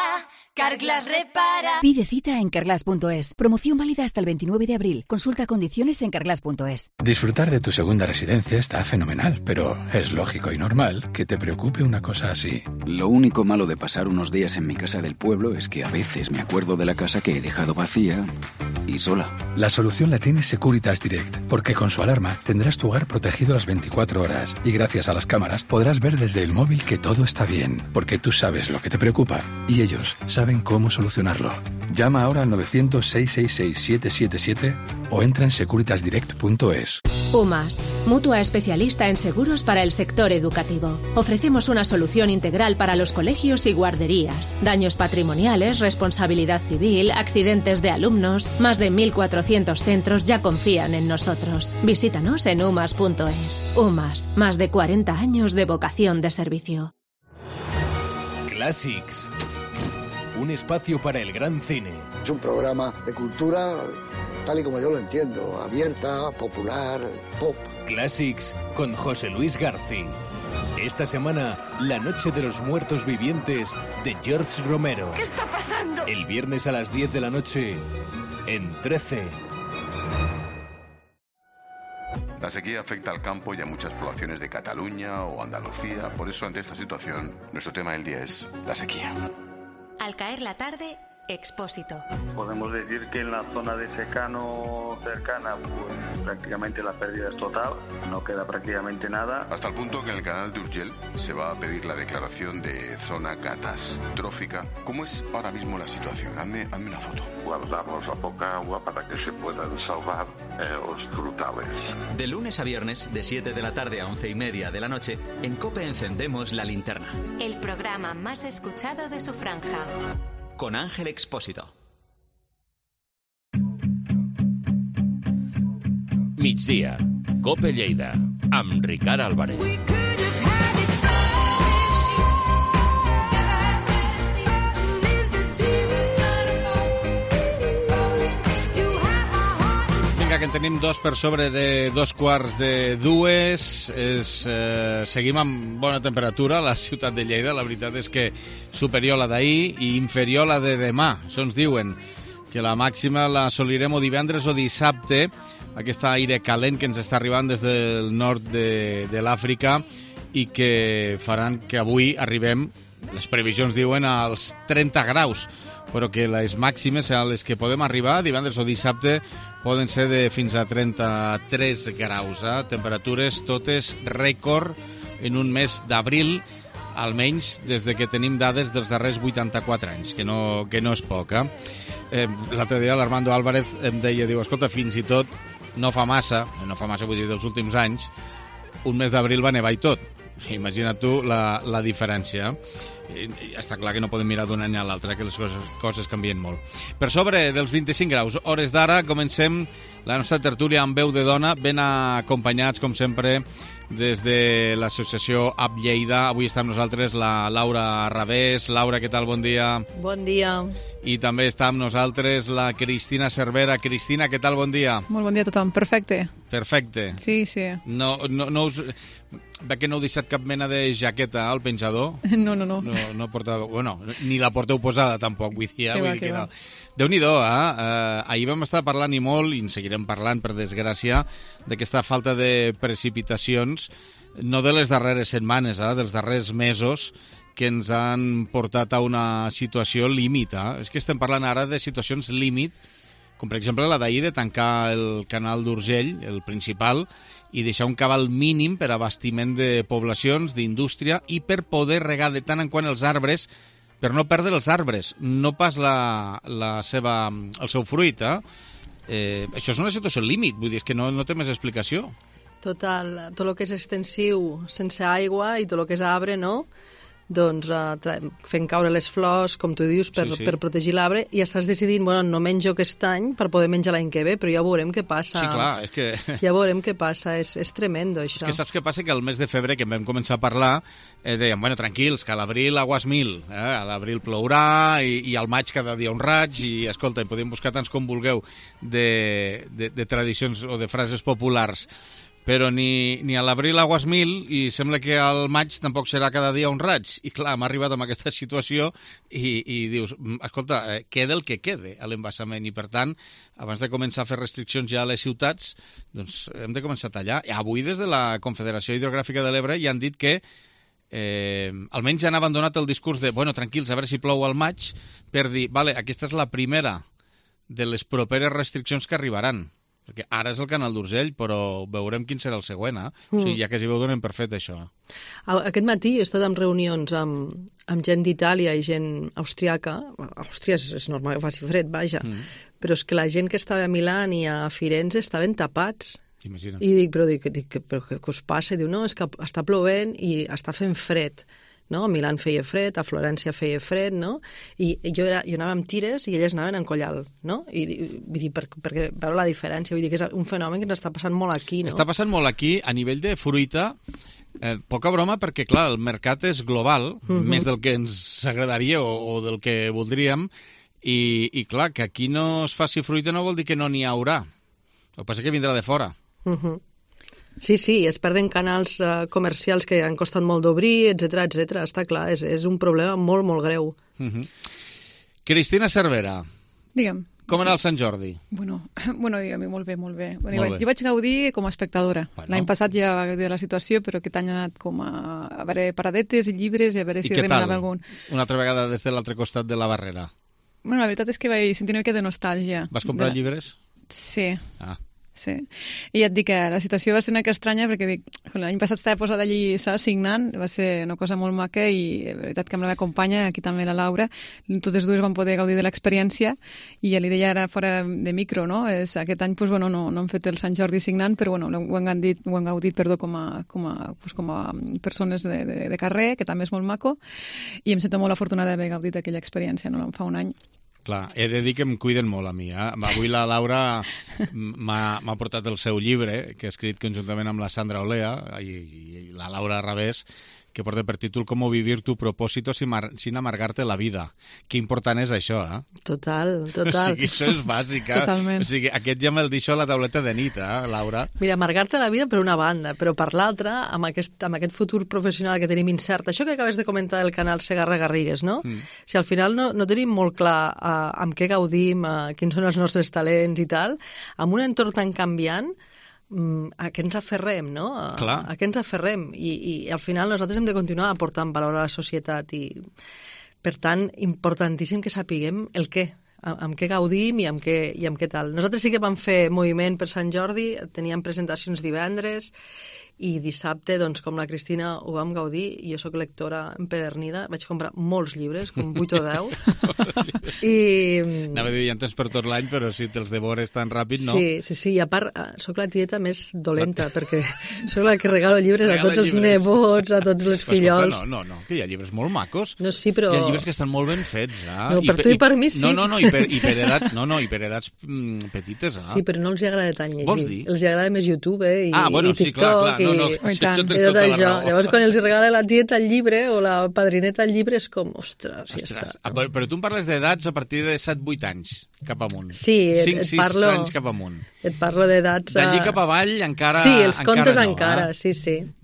Carglass repara. Pide cita en carglass.es. Promoción válida hasta el 29 de abril. Consulta condiciones en carglass.es. Disfrutar de tu segunda residencia está fenomenal, pero es lógico y normal que te preocupe una cosa así. Lo único malo de pasar unos días en mi casa del pueblo es que a veces me acuerdo de la casa que he dejado vacía y sola. La solución la tiene Securitas Direct, porque con su alarma tendrás tu hogar protegido las 24 horas y gracias a las cámaras podrás ver desde el móvil que todo está bien, porque tú sabes lo que te preocupa y ellos saben cómo solucionarlo. Llama ahora al 900-666-777 o entra en securitasdirect.es. UMAS, mutua especialista en seguros para el sector educativo. Ofrecemos una solución integral para los colegios y guarderías. Daños patrimoniales, responsabilidad civil, accidentes de alumnos. Más de 1.400 centros ya confían en nosotros. Visítanos en umas.es. UMAS, más de 40 años de vocación de servicio. Classics. Un espacio para el gran cine. Es un programa de cultura tal y como yo lo entiendo, abierta, popular, pop. Classics con José Luis García. Esta semana, La Noche de los Muertos Vivientes de George Romero. ¿Qué está pasando? El viernes a las 10 de la noche en 13. La sequía afecta al campo y a muchas poblaciones de Cataluña o Andalucía. Por eso, ante esta situación, nuestro tema del día es la sequía. Al caer la tarde, Expósito. Podemos decir que en la zona de secano cercana, pues prácticamente la pérdida es total, no queda prácticamente nada. Hasta el punto que en el canal de Urgell se va a pedir la declaración de zona catastrófica. ¿Cómo es ahora mismo la situación? Hazme una foto. Guardamos la poca agua para que se puedan salvar los frutales. De lunes a viernes, de 7 de la tarde a 11:30 de la noche, en COPE encendemos la linterna. El programa más escuchado de su franja. Con Ángel Expósito. Migdia, COPE Lleida, amb Ricard Álvarez. Vinga, que en tenim dos per sobre de 2:45. Seguim amb bona temperatura a la ciutat de Lleida. La veritat és que superior a la d'ahir i inferior a la de demà. Això ens diuen que la màxima l'assolirem o divendres o dissabte. Aquest aire calent que ens està arribant des del nord de l'Àfrica i que faran que avui arribem, les previsions diuen, als 30 graus, però que les màximes a les que podem arribar divendres o dissabte poden ser de fins a 33 graus. Temperatures totes rècord en un mes d'abril, almenys des de que tenim dades dels darrers 84 anys, que no és poc. L'altre dia l'Armando Álvarez em deia, diu, escolta, fins i tot no fa massa, vull dir, dels últims anys, un mes d'abril va nevar i tot. Imagina't tu la diferència. Està clar que no podem mirar d'un any a l'altre, que les coses canvien molt. Per sobre dels 25 graus, hores d'ara, comencem la nostra tertúlia amb veu de dona, ben acompanyats, com sempre, des de l'associació Up Lleida. Avui està amb nosaltres la Laura Ravés. Laura, què tal? Bon dia. Bon dia. I també està amb nosaltres la Cristina Cervera. Cristina, què tal? Bon dia. Molt bon dia a tothom. Perfecte. Perfecte. Sí, sí. No us... Veig que no heu deixat cap mena de jaqueta al penjador. No. No portava... Bueno, ni la porteu posada, tampoc, vull dir, vull dir que no. Déu-n'hi-do, ahir vam estar parlant i molt, i en seguirem parlant, per desgràcia, d'aquesta falta de precipitacions, no de les darreres setmanes, dels darrers mesos, que ens han portat a una situació límit. És que estem parlant ara de situacions límit, com per exemple la d'ahir de tancar el canal d'Urgell, el principal, i deixar un cabal mínim per abastiment de poblacions, d'indústria, i per poder regar de tant en quant els arbres, per no perdre els arbres, no pas el seu fruit. Això és una situació límit, vull dir, és que no té més explicació. Total, tot el que és extensiu sense aigua i tot el que és arbre, no? Doncs fent caure les flors, com tu dius, per protegir l'arbre, i estàs decidint, bueno, no menjo aquest any per poder menjar l'any que ve, però ja veurem què passa. Sí, clar, és que... Ja veurem què passa, és tremendo, això. És que saps què passa? Que al mes de febrer, que vam començar a parlar, dèiem, bueno, tranquils, que a l'abril aguas mil, a l'abril plourà, i al maig cada dia un raig, i, escolta, podem buscar tants com vulgueu de tradicions o de frases populars, però ni a l'abril aguas mil, i sembla que al maig tampoc serà cada dia un raig. I clar, hem arribat amb aquesta situació i dius, escolta, queda el que quede a l'embassament, i per tant, abans de començar a fer restriccions ja a les ciutats, doncs hem de començar a tallar. I avui des de la Confederació Hidrogràfica de l'Ebre ja han dit que almenys ja han abandonat el discurs de, bueno, tranquils, a veure si plou al maig, per dir, vale, aquesta és la primera de les properes restriccions que arribaran. Perquè ara és el canal d'Urgell, però veurem quin serà el següent, O sigui, ja quasi ho donen per fet, això. Aquest matí he estat en reunions amb gent d'Itàlia i gent austríaca. Àustria és normal que faci fred, vaja. Però és que la gent que estava a Milán i a Firenze estaven tapats. Imagina't. I dic, però què us passa? I diu, no, és que està plovent i està fent fred. No? A Milán feia fred, a Florència feia fred, no? I jo anava amb tires i elles anaven en collal, no? I vull dir, perquè veure la diferència, vull dir que és un fenomen que ens està passant molt aquí, no? Està passant molt aquí, a nivell de fruita, poca broma, perquè, clar, el mercat és global, més del que ens agradaria o del que voldríem, i clar, que aquí no es faci fruita no vol dir que no n'hi haurà. El que passa és que vindrà de fora. Sí, es perden canals comercials que han costat molt d'obrir, etc. Està clar, és un problema molt, molt greu. Cristina Cervera. Digue'm. Com era el Sant Jordi? Bueno, a mi molt bé. Bueno, jo vaig gaudir com a espectadora. L'any passat ja va gaudir de la situació, però aquest any ha anat com a veure paradetes i llibres i a veure si remenava algun. Una altra vegada des de l'altre costat de la barrera? Bueno, la veritat és que vaig sentir una mica de nostàlgia. Vas comprar llibres? Sí. Sí. I ja et dic que la situació va ser una mica estranya perquè dic, l'any passat estava posada allí signant, va ser una cosa molt maca i la veritat que amb la meva companya, aquí també la Laura, totes dues vam poder gaudir de l'experiència i ja li deia ara fora de micro, no? Aquest any no hem fet el Sant Jordi signant, però ho hem gaudit com a persones de carrer, que també és molt maco, i em sento molt afortunada d'haver gaudit d'aquella experiència, no? Fa un any. Clar, he de dir que em cuiden molt a mi. Avui la Laura m'ha portat el seu llibre, que ha escrit conjuntament amb la Sandra Olea i la Laura Ravés, que porta per títol Com vivir tu propósito sin amargarte la vida. Que important és això, Total. O sigui, això és bàsic, Totalment. O sigui, aquest ja me'l deixo a la tauleta de nit, Laura? Mira, amargar-te la vida per una banda, però per l'altra, amb aquest futur professional que tenim incert, això que acabes de comentar del canal Segarra-Garrigues, no? Si al final no tenim molt clar amb què gaudim, quins són els nostres talents i tal, amb un entorn tan canviant, a què ens aferrem, no? A què ens aferrem i al final nosaltres hem de continuar aportant valor a la societat i per tant importantíssim que sapiguem el què, amb què gaudim i amb què tal. Nosaltres sí que vam fer moviment per Sant Jordi, teníem presentacions divendres i dissabte, doncs, com la Cristina ho vam gaudir, jo sóc lectora empedernida, vaig comprar molts llibres, com 8 o 10, i... Anava a dir, ja en tens per tot l'any, però si te'ls devores tan ràpid, no? Sí, i a part, sóc la tieta més dolenta, perquè sóc la que regalo llibres a tots els nebots, a tots els fillols. No, que hi ha llibres molt macos. No, sí, però... Hi ha llibres que estan molt ben fets, No, per tu i per mi sí. I per edats petites, Sí, però no els agrada tant llegir. Vols dir? Els agrada més YouTube, i TikTok, sí, clar. I tot això. Llavors, quan els regala la tieta el llibre o la padrineta el llibre, és com, ostres, ja està. Però tu em parles d'edats a partir de 7-8 anys cap amunt. Sí, 5-6 anys cap amunt. Et parlo d'edats... D'allí cap avall encara Sí, els contes encara, sí.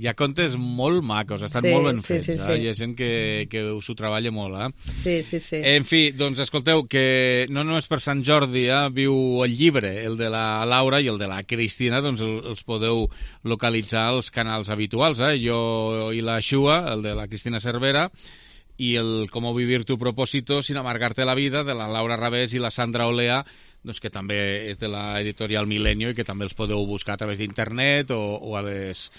Hi ha contes molt macos, estan molt ben fets. Hi ha gent que s'ho treballa molt. Sí. En fi, doncs escolteu, que no només per Sant Jordi viu el llibre, el de la Laura i el de la Cristina, doncs els podeu localitzar als canals habituals. Jo i la Xua, el de la Cristina Cervera, i el Cómo vivir tu propósito sin amargarte la vida, de la Laura Rabés i la Sandra Olea, doncs que també és de l'editorial Milenio i que també els podeu buscar a través d'internet o a les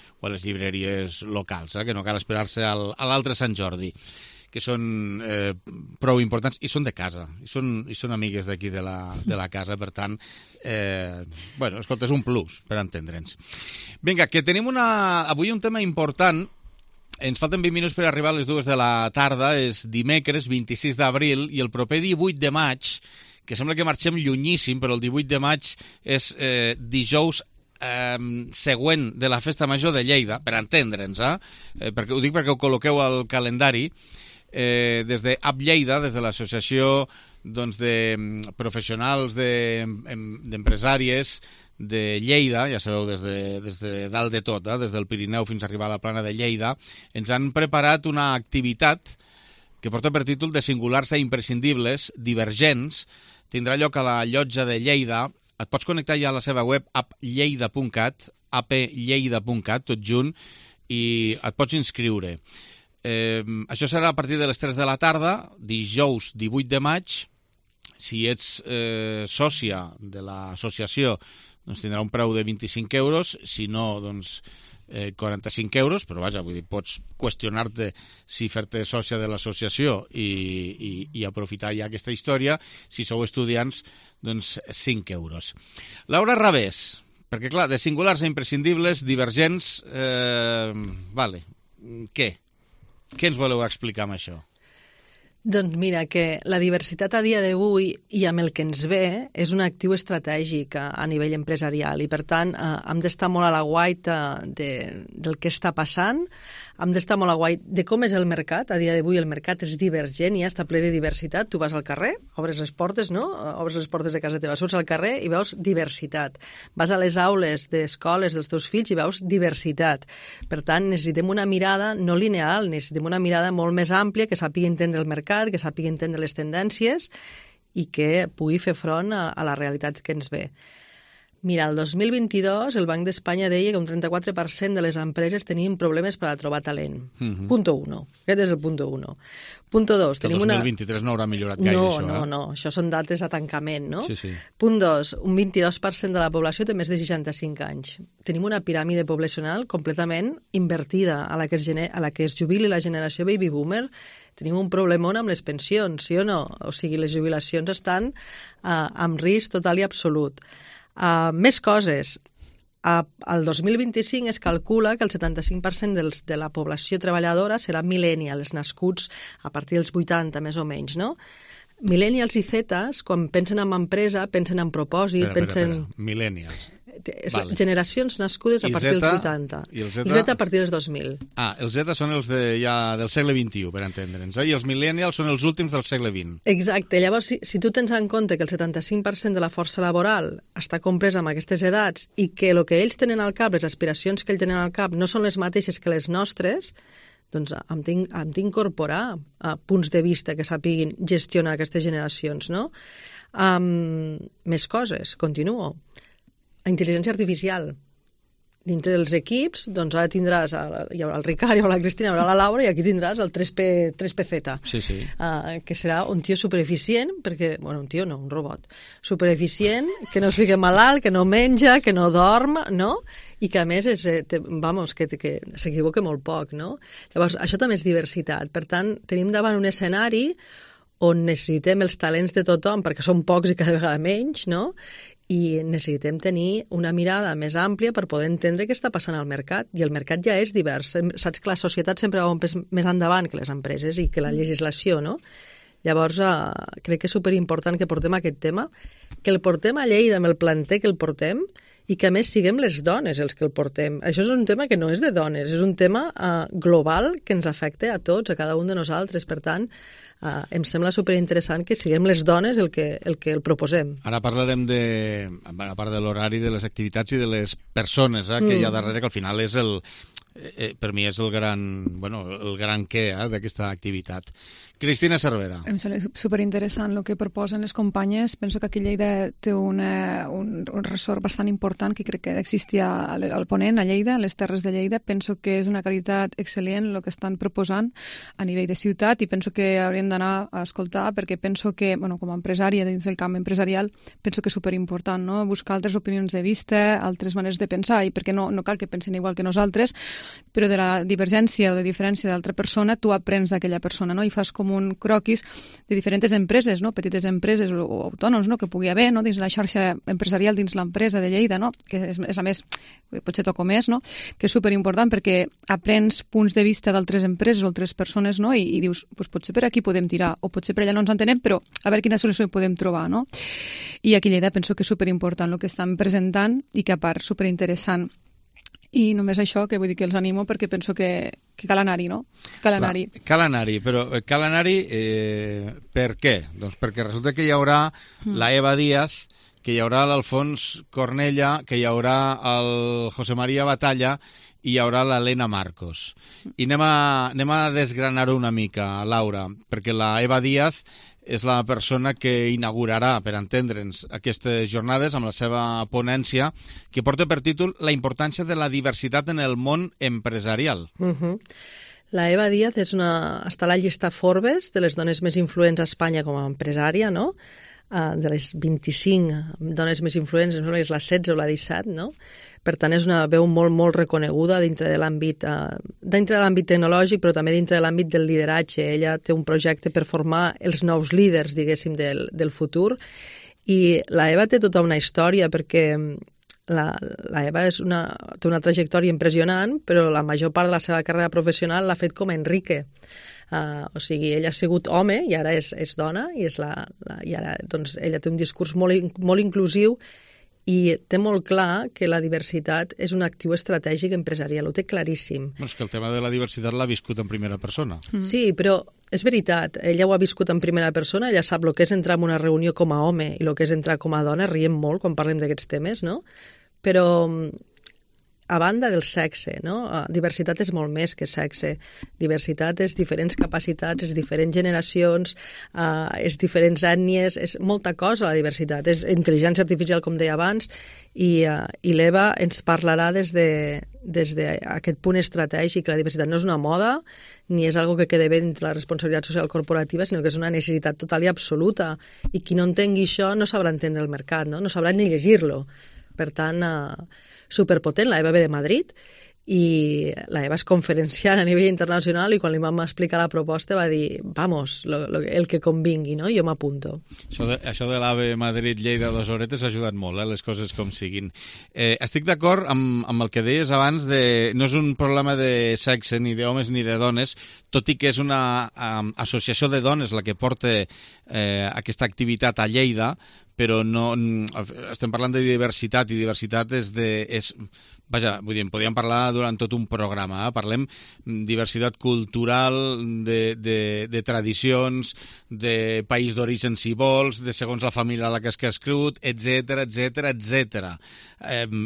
llibreries locals, que no cal esperar-se a l'altre Sant Jordi, que són prou importants i són de casa, i són amigues d'aquí de la casa, per tant, escolta, és un plus per entendre'ns. Vinga, que tenim avui un tema important. Ens falten 20 minuts per arribar a les 2 de la tarda, és dimecres 26 d'abril i el proper 18 de maig, que sembla que marxem llunyíssim, però el 18 de maig és dijous següent de la Festa Major de Lleida, per entendre'ns, ho dic perquè ho col·loqueu al calendari, des de App Lleida, des de l'associació de professionals d'empresàries de Lleida, ja sabeu, des de dalt de tot, des del Pirineu fins a arribar a la plana de Lleida, ens han preparat una activitat que porta per títol de singulars a imprescindibles, divergents. Tindrà lloc a la Llotja de Lleida. Et pots connectar ja a la seva web applleida.cat, applleida.cat, tot junt, i et pots inscriure. Això serà a partir de les 3 de la tarda, dijous 18 de maig. Si ets sòcia de l'associació, doncs tindrà un preu de 25 euros, si no, doncs 45 euros, però vaja, vull dir, pots qüestionar-te si fer-te sòcia de l'associació i aprofitar ja aquesta història. Si sou estudiants, doncs 5 euros. Laura Rabés, perquè clar, de singulars a imprescindibles, divergents, què? Què ens voleu explicar amb això? Doncs mira, que la diversitat a dia d'avui i amb el que ens ve és un actiu estratègic a nivell empresarial i, per tant, hem d'estar molt a l'aguait del que està passant, hem d'estar molt a l'aguait de com és el mercat. A dia d'avui el mercat és divergent, ja està ple de diversitat. Tu vas al carrer, obres les portes, no? Obres les portes de casa teva, surts al carrer i veus diversitat. Vas a les aules d'escoles dels teus fills i veus diversitat. Per tant, necessitem una mirada no lineal, necessitem una mirada molt més àmplia que sàpiga entendre el mercat, que sàpiga entendre les tendències i que pugui fer front a la realitat que ens ve. Mira, el 2022 el Banc d'Espanya deia que un 34% de les empreses tenien problemes per a trobar talent. Punto 1. Aquest és el punto 1. Punto 2. El 2023 no haurà millorat gaire, això. No. Això són dates a tancament, no? Sí. Punt 2. Un 22% de la població té més de 65 anys. Tenim una piràmide poblacional completament invertida a la que es jubili la generació baby boomer. Tenim un problemón amb les pensions, sí o no? O sigui, les jubilacions estan amb risc total i absolut. Més coses. Al 2025 es calcula que el 75% de la població treballadora serà millennials, nascuts a partir dels 80, més o menys, no? Millennials i Zetas, quan pensen en empresa, pensen en propòsit, pensen... Millennials. Vale. Generacions nascudes a partir dels 80. I el Z a partir dels 2000. Els Z són els del segle XXI, per entendre'ns, i els millennials són els últims del segle XX. Exacte. Llavors, si tu tens en compte que el 75% de la força laboral està compresa amb aquestes edats i que el que ells tenen al cap, les aspiracions que ells tenen al cap, no són les mateixes que les nostres, doncs hem d'incorporar punts de vista que sàpiguin gestionar aquestes generacions, no? Més coses, continuo. Intel·ligència artificial. dintre dels equips, doncs ara tindràs, hi haurà el Ricard, hi haurà la Cristina, hi haurà la Laura, i aquí tindràs el 3PZ, que serà un tio supereficient, perquè, bueno, un tio no, un robot, supereficient, que no es fica malalt, que no menja, que no dorm, no? I que a més que s'equivoca molt poc, no? Llavors, això també és diversitat. Per tant, tenim davant un escenari on necessitem els talents de tothom, perquè són pocs i cada vegada menys, no? I necessitem tenir una mirada més àmplia per poder entendre què està passant al mercat. I el mercat ja és divers. Saps que la societat sempre va un pes més endavant que les empreses i que la legislació, no? Llavors, crec que és superimportant que portem aquest tema, que el portem a Lleida amb el planter que el portem i que, a més, siguem les dones els que el portem. Això és un tema que no és de dones, és un tema global que ens afecta a tots, a cada un de nosaltres. Per tant, em sembla superinteressant que siguem les dones el que el proposem. Ara parlarem a part de l'horari, de les activitats i de les persones que hi ha darrere, que al final és per mi és el gran què d'aquesta activitat. Cristina Cervera. Em sembla superinteressant el que proposen les companyes. Penso que aquí a Lleida té un ressort bastant important que crec que existia al Ponent, a Lleida, a les Terres de Lleida. Penso que és una qualitat excel·lent el que estan proposant a nivell de ciutat i penso que hauríem d'anar a escoltar perquè penso que, com a empresària dins del camp empresarial, penso que és superimportant, no? Buscar altres opinions de vista, altres maneres de pensar i perquè no cal que pensin igual que nosaltres, però de la divergència o de diferència d'altra persona tu aprens d'aquella persona, no? I fas com un croquis de diferents empreses, no? Petites empreses o autònoms, no? Que pugui haver, no? Dins la xarxa empresarial, dins l'empresa de Lleida, no? Que és a més, potser toco més, no? Que és superimportant perquè aprens punts de vista d'altres empreses o altres persones, no? I dius, potser per aquí podem tirar, o potser per allà no ens entenem, però a veure quina solució podem trobar, no? I aquí a Lleida penso que és superimportant el que estan presentant i que a part superinteressant. I només això, que vull dir que els animo perquè penso que cal anar-hi, no? Cal anar-hi. Cal anar-hi, però cal anar-hi per què? Doncs perquè resulta que hi haurà la Eva Díaz, que hi haurà l'Alfons Cornella, que hi haurà el José María Batalla i hi haurà l'Helena Marcos. I anem a desgranar-ho una mica, Laura, perquè la Eva Díaz és la persona que inaugurarà, per entendre'ns, aquestes jornades amb la seva ponència, que porta per títol La importància de la diversitat en el món empresarial. La Eva Díaz està a la llista Forbes de les dones més influents a Espanya com a empresària, no? De les 25 dones més influents, no és la 16 o la 17, no? Per tant, és una veu molt, molt reconeguda dintre de l'àmbit tecnològic, però també dintre de l'àmbit del lideratge. Ella té un projecte per formar els nous líders, diguéssim, del futur. I la Eva té tota una història, perquè la Eva té una trajectòria impressionant, però la major part de la seva carrera professional l'ha fet com a Enrique. O sigui, ella ha sigut home i ara és dona, i ara doncs, ella té un discurs molt inclusiu i té molt clar que la diversitat és un actiu estratègic empresarial, ho té claríssim. És que el tema de la diversitat l'ha viscut en primera persona. Sí, però és veritat, ella ho ha viscut en primera persona, ella sap el que és entrar en una reunió com a home i el que és entrar com a dona, riem molt quan parlem d'aquests temes, no? Però a banda del sexe, no? Diversitat és molt més que sexe. Diversitat és diferents capacitats, és diferents generacions, és diferents ètnies, és molta cosa la diversitat. És intel·ligència artificial, com deia abans, i l'Eva ens parlarà des d'aquest punt estratègic. La diversitat no és una moda, ni és algo que quede bé dintre la responsabilitat social corporativa, sinó que és una necessitat total i absoluta. I qui no entengui això no sabrà entendre el mercat, no sabrà ni llegir-lo. Per tant, superpotent, la Eva ve de Madrid i la Eva és conferenciant a nivell internacional i quan li vam explicar la proposta va dir, vamos, el que convingui, no? Jo m'apunto. Això de l'AVE Madrid-Lleida 2 horetes ha ajudat molt, les coses com siguin. Estic d'acord amb el que deies abans no és un problema de sexe, ni d'homes ni de dones, tot i que és una associació de dones la que porta aquesta activitat a Lleida, però no estem parlant de diversitat i diversitat en podríem parlar durant tot un programa. Parlem diversitat cultural, de tradicions, de país d'origen si vols, de segons la família a la que has crescut, etc.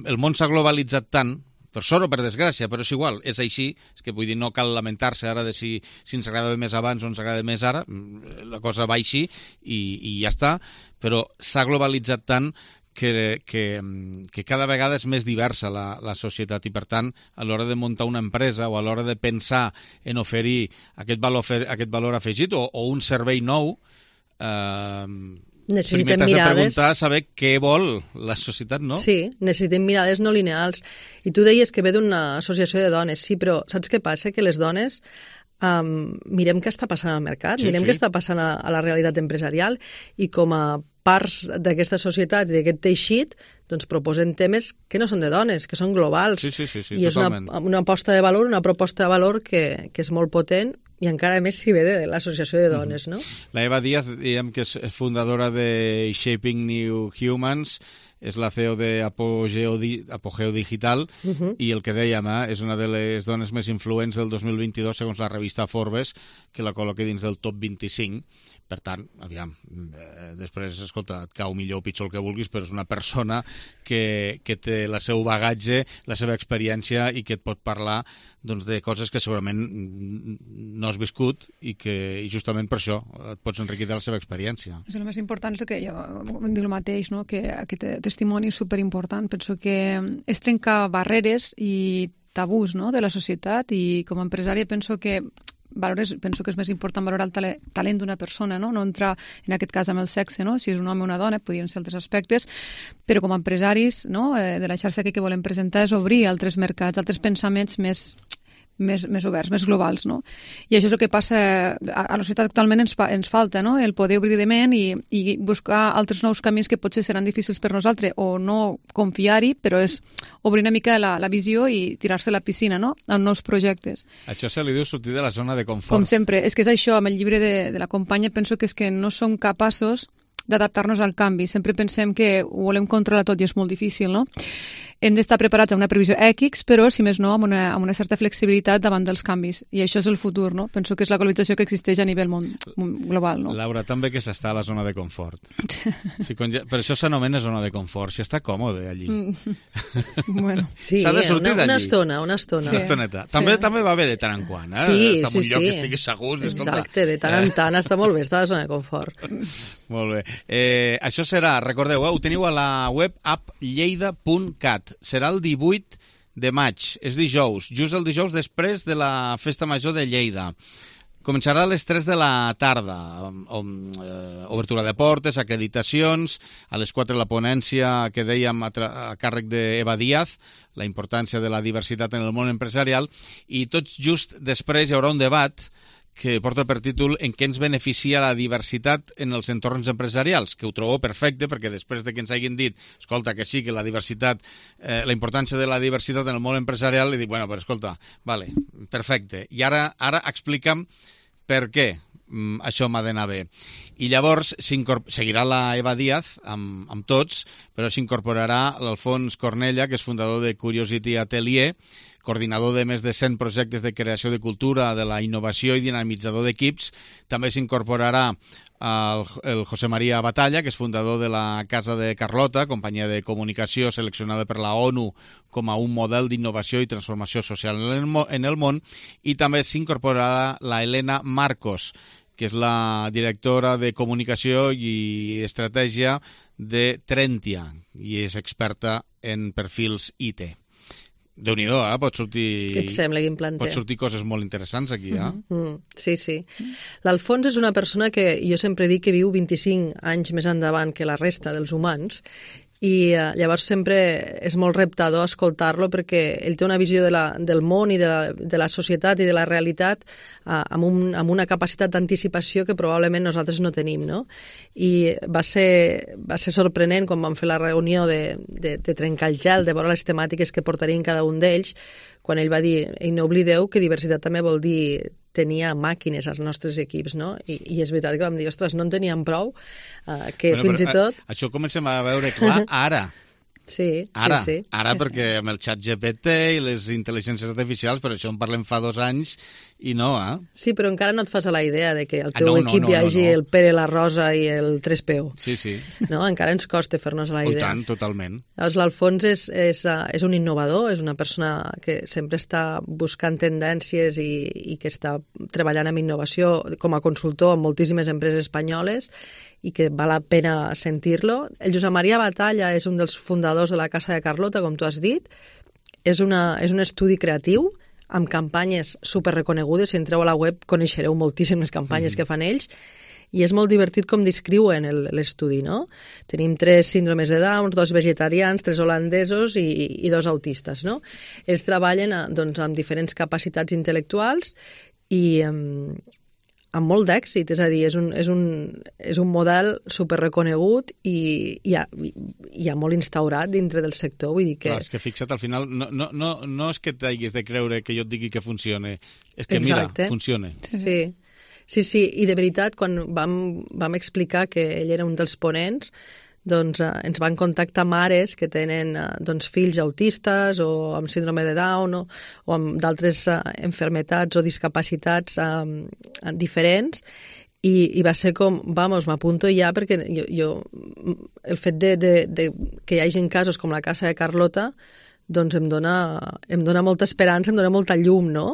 El món s'ha globalitzat tant, per sort o per desgràcia, però és igual, és així, és que vull dir, no cal lamentar-se ara de si ens agradava més abans o ens agrada més ara, la cosa va així i ja està, però s'ha globalitzat tant que cada vegada és més diversa la societat i, per tant, a l'hora de muntar una empresa o a l'hora de pensar en oferir aquest valor afegit o un servei nou, primer t'has de preguntar, saber què vol la societat, no? Sí, necessitem mirades no lineals. I tu deies que ve d'una associació de dones, sí, però saps què passa? Que les dones mirem què està passant al mercat, mirem què està passant a la realitat empresarial i com a parts d'aquesta societat i d'aquest teixit doncs proposen temes que no són de dones, que són globals. Sí, i és una aposta de valor, una proposta de valor que és molt potent i encara més si ve de l'associació de dones, no? La Eva Díaz, diguem que és fundadora de Shaping New Humans, és la CEO de Apogeo Digital i el que dèiem, és una de les dones més influents del 2022 segons la revista Forbes, que la col·loca dins del top 25. Per tant, aviam, després, escolta, et cau millor o pitjor el que vulguis, però és una persona que té el seu bagatge, la seva experiència i que et pot parlar doncs, de coses que segurament no has viscut i justament per això et pots enriquir de la seva experiència. És el més important, és que jo dic el mateix, no? Que aquest testimoni és superimportant. Penso que és trencar barreres i tabús, no? De la societat, i com a empresària penso que és més important valorar el talent d'una persona, no entrar en aquest cas amb el sexe, no? Si és un home o una dona, podrien ser altres aspectes, però com a empresaris, no? De la xarxa que volem presentar és obrir altres mercats, altres pensaments més oberts, més globals, no? I això és el que passa a la societat actualment. Ens falta, no? El poder obrir de ment i buscar altres nous camins que potser seran difícils per nosaltres o no confiar-hi, però és obrir una mica la visió i tirar-se a la piscina, no? Amb nous projectes. Això se li diu sortir de la zona de confort. Com sempre, és que és això, amb el llibre de la companya penso que és que no som capaços d'adaptar-nos al canvi. Sempre pensem que ho volem controlar tot i és molt difícil, no? Hem d'estar preparats a una previsió X, però, si més no, amb una certa flexibilitat davant dels canvis. I això és el futur, no? Penso que és la globalització que existeix a nivell global, no? Laura, també que s'està a la zona de confort. Per això s'anomena zona de confort, si està còmode allí. Bueno. Sí, s'ha de sortir d'allí. Una estona. Sí. Una estoneta. També va bé de tant en quant, Està en un lloc que estiguis segur. Exacte, de tant en tant està molt bé, està a la zona de confort. Molt bé. Això serà, recordeu, ho teniu a la web applleida.cat. Serà el 18 de maig, és dijous, just el dijous després de la Festa Major de Lleida. Començarà a les 3 de la tarda, obertura de portes, acreditacions, a les 4 la ponència que dèiem a càrrec d'Eva Díaz, la importància de la diversitat en el món empresarial, i tots just després hi haurà un debat que porta per títol en què ens beneficia la diversitat en els entorns empresarials, que ho trobo perfecte, perquè després de que ens hagin dit, escolta, que sí, que la diversitat, la importància de la diversitat en el món empresarial, li dic, bueno, però escolta, vale, perfecte. I ara explica'm per què això m'ha d'anar bé. I llavors seguirà la Eva Díaz amb tots, però s'incorporarà l'Alfons Cornella, que és fundador de Curiosity Atelier, coordinador de més de 100 projectes de creació de cultura, de la innovació i dinamitzador d'equips. També s'incorporarà el José María Batalla, que és fundador de la Casa de Carlota, companyia de comunicació seleccionada per la ONU com a un model d'innovació i transformació social en el món, i també s'incorporarà la Helena Marcos, que és la directora de comunicació i estratègia de Trentia, i és experta en perfils IT. Déu-n'hi-do, pot sortir... Què et sembla, quin planter? Pot sortir coses molt interessants aquí, Sí. L'Alfons és una persona que jo sempre dic que viu 25 anys més endavant que la resta dels humans, i llavors sempre és molt reptador escoltar-lo perquè ell té una visió del món i de la societat i de la realitat amb una capacitat d'anticipació que probablement nosaltres no tenim, no? I va ser sorprenent quan vam fer la reunió de trencar el gel, de veure les temàtiques que portarien cada un d'ells, quan ell va dir, i no oblideu que diversitat també vol dir tenia màquines als nostres equips, no? I és veritat que vam dir, ostres, no en teníem prou, que fins i tot... Això comencem a veure clar ara. Sí. Perquè amb el xat GPT i les intel·ligències artificials, per això en parlem fa 2 anys i no, Sí, però encara no et fas a la idea de que el teu equip hi hagi el Pere, la Rosa i el 3PO. Sí. No? Encara ens costa fer-nos a la idea. I tant, totalment. Llavors, l'Alfons és un innovador, és una persona que sempre està buscant tendències i que està treballant amb innovació com a consultor en moltíssimes empreses espanyoles, i que val la pena sentir-lo. El Josep Maria Batalla és un dels fundadors de la Casa de Carlota, com tu has dit. És un estudi creatiu amb campanyes superreconegudes. Si entreu a la web coneixereu moltíssimes campanyes que fan ells, i és molt divertit com descriuen l'estudi, no? Tenim 3 síndromes de Down, 2 vegetarians, 3 holandesos i 2 autistes, no? Ells treballen doncs, amb diferents capacitats intel·lectuals i amb molt d'èxit, és a dir, és un model superreconegut i ja molt instaurat dintre del sector, vull dir que... Clar, és que fixa't, al final no és que t'haguis de creure que jo et digui que funcione, és que mira, funciona. Sí, i de veritat, quan vam explicar que ell era un dels ponents, doncs ens van contactar mares que tenen fills autistes o amb síndrome de Down o amb d'altres enfermetats o discapacitats diferents, i va ser com, m'apunto ja, perquè jo el fet de que hi hagi casos com la Casa de Carlota doncs em dona molta esperança, em dona molta llum, no?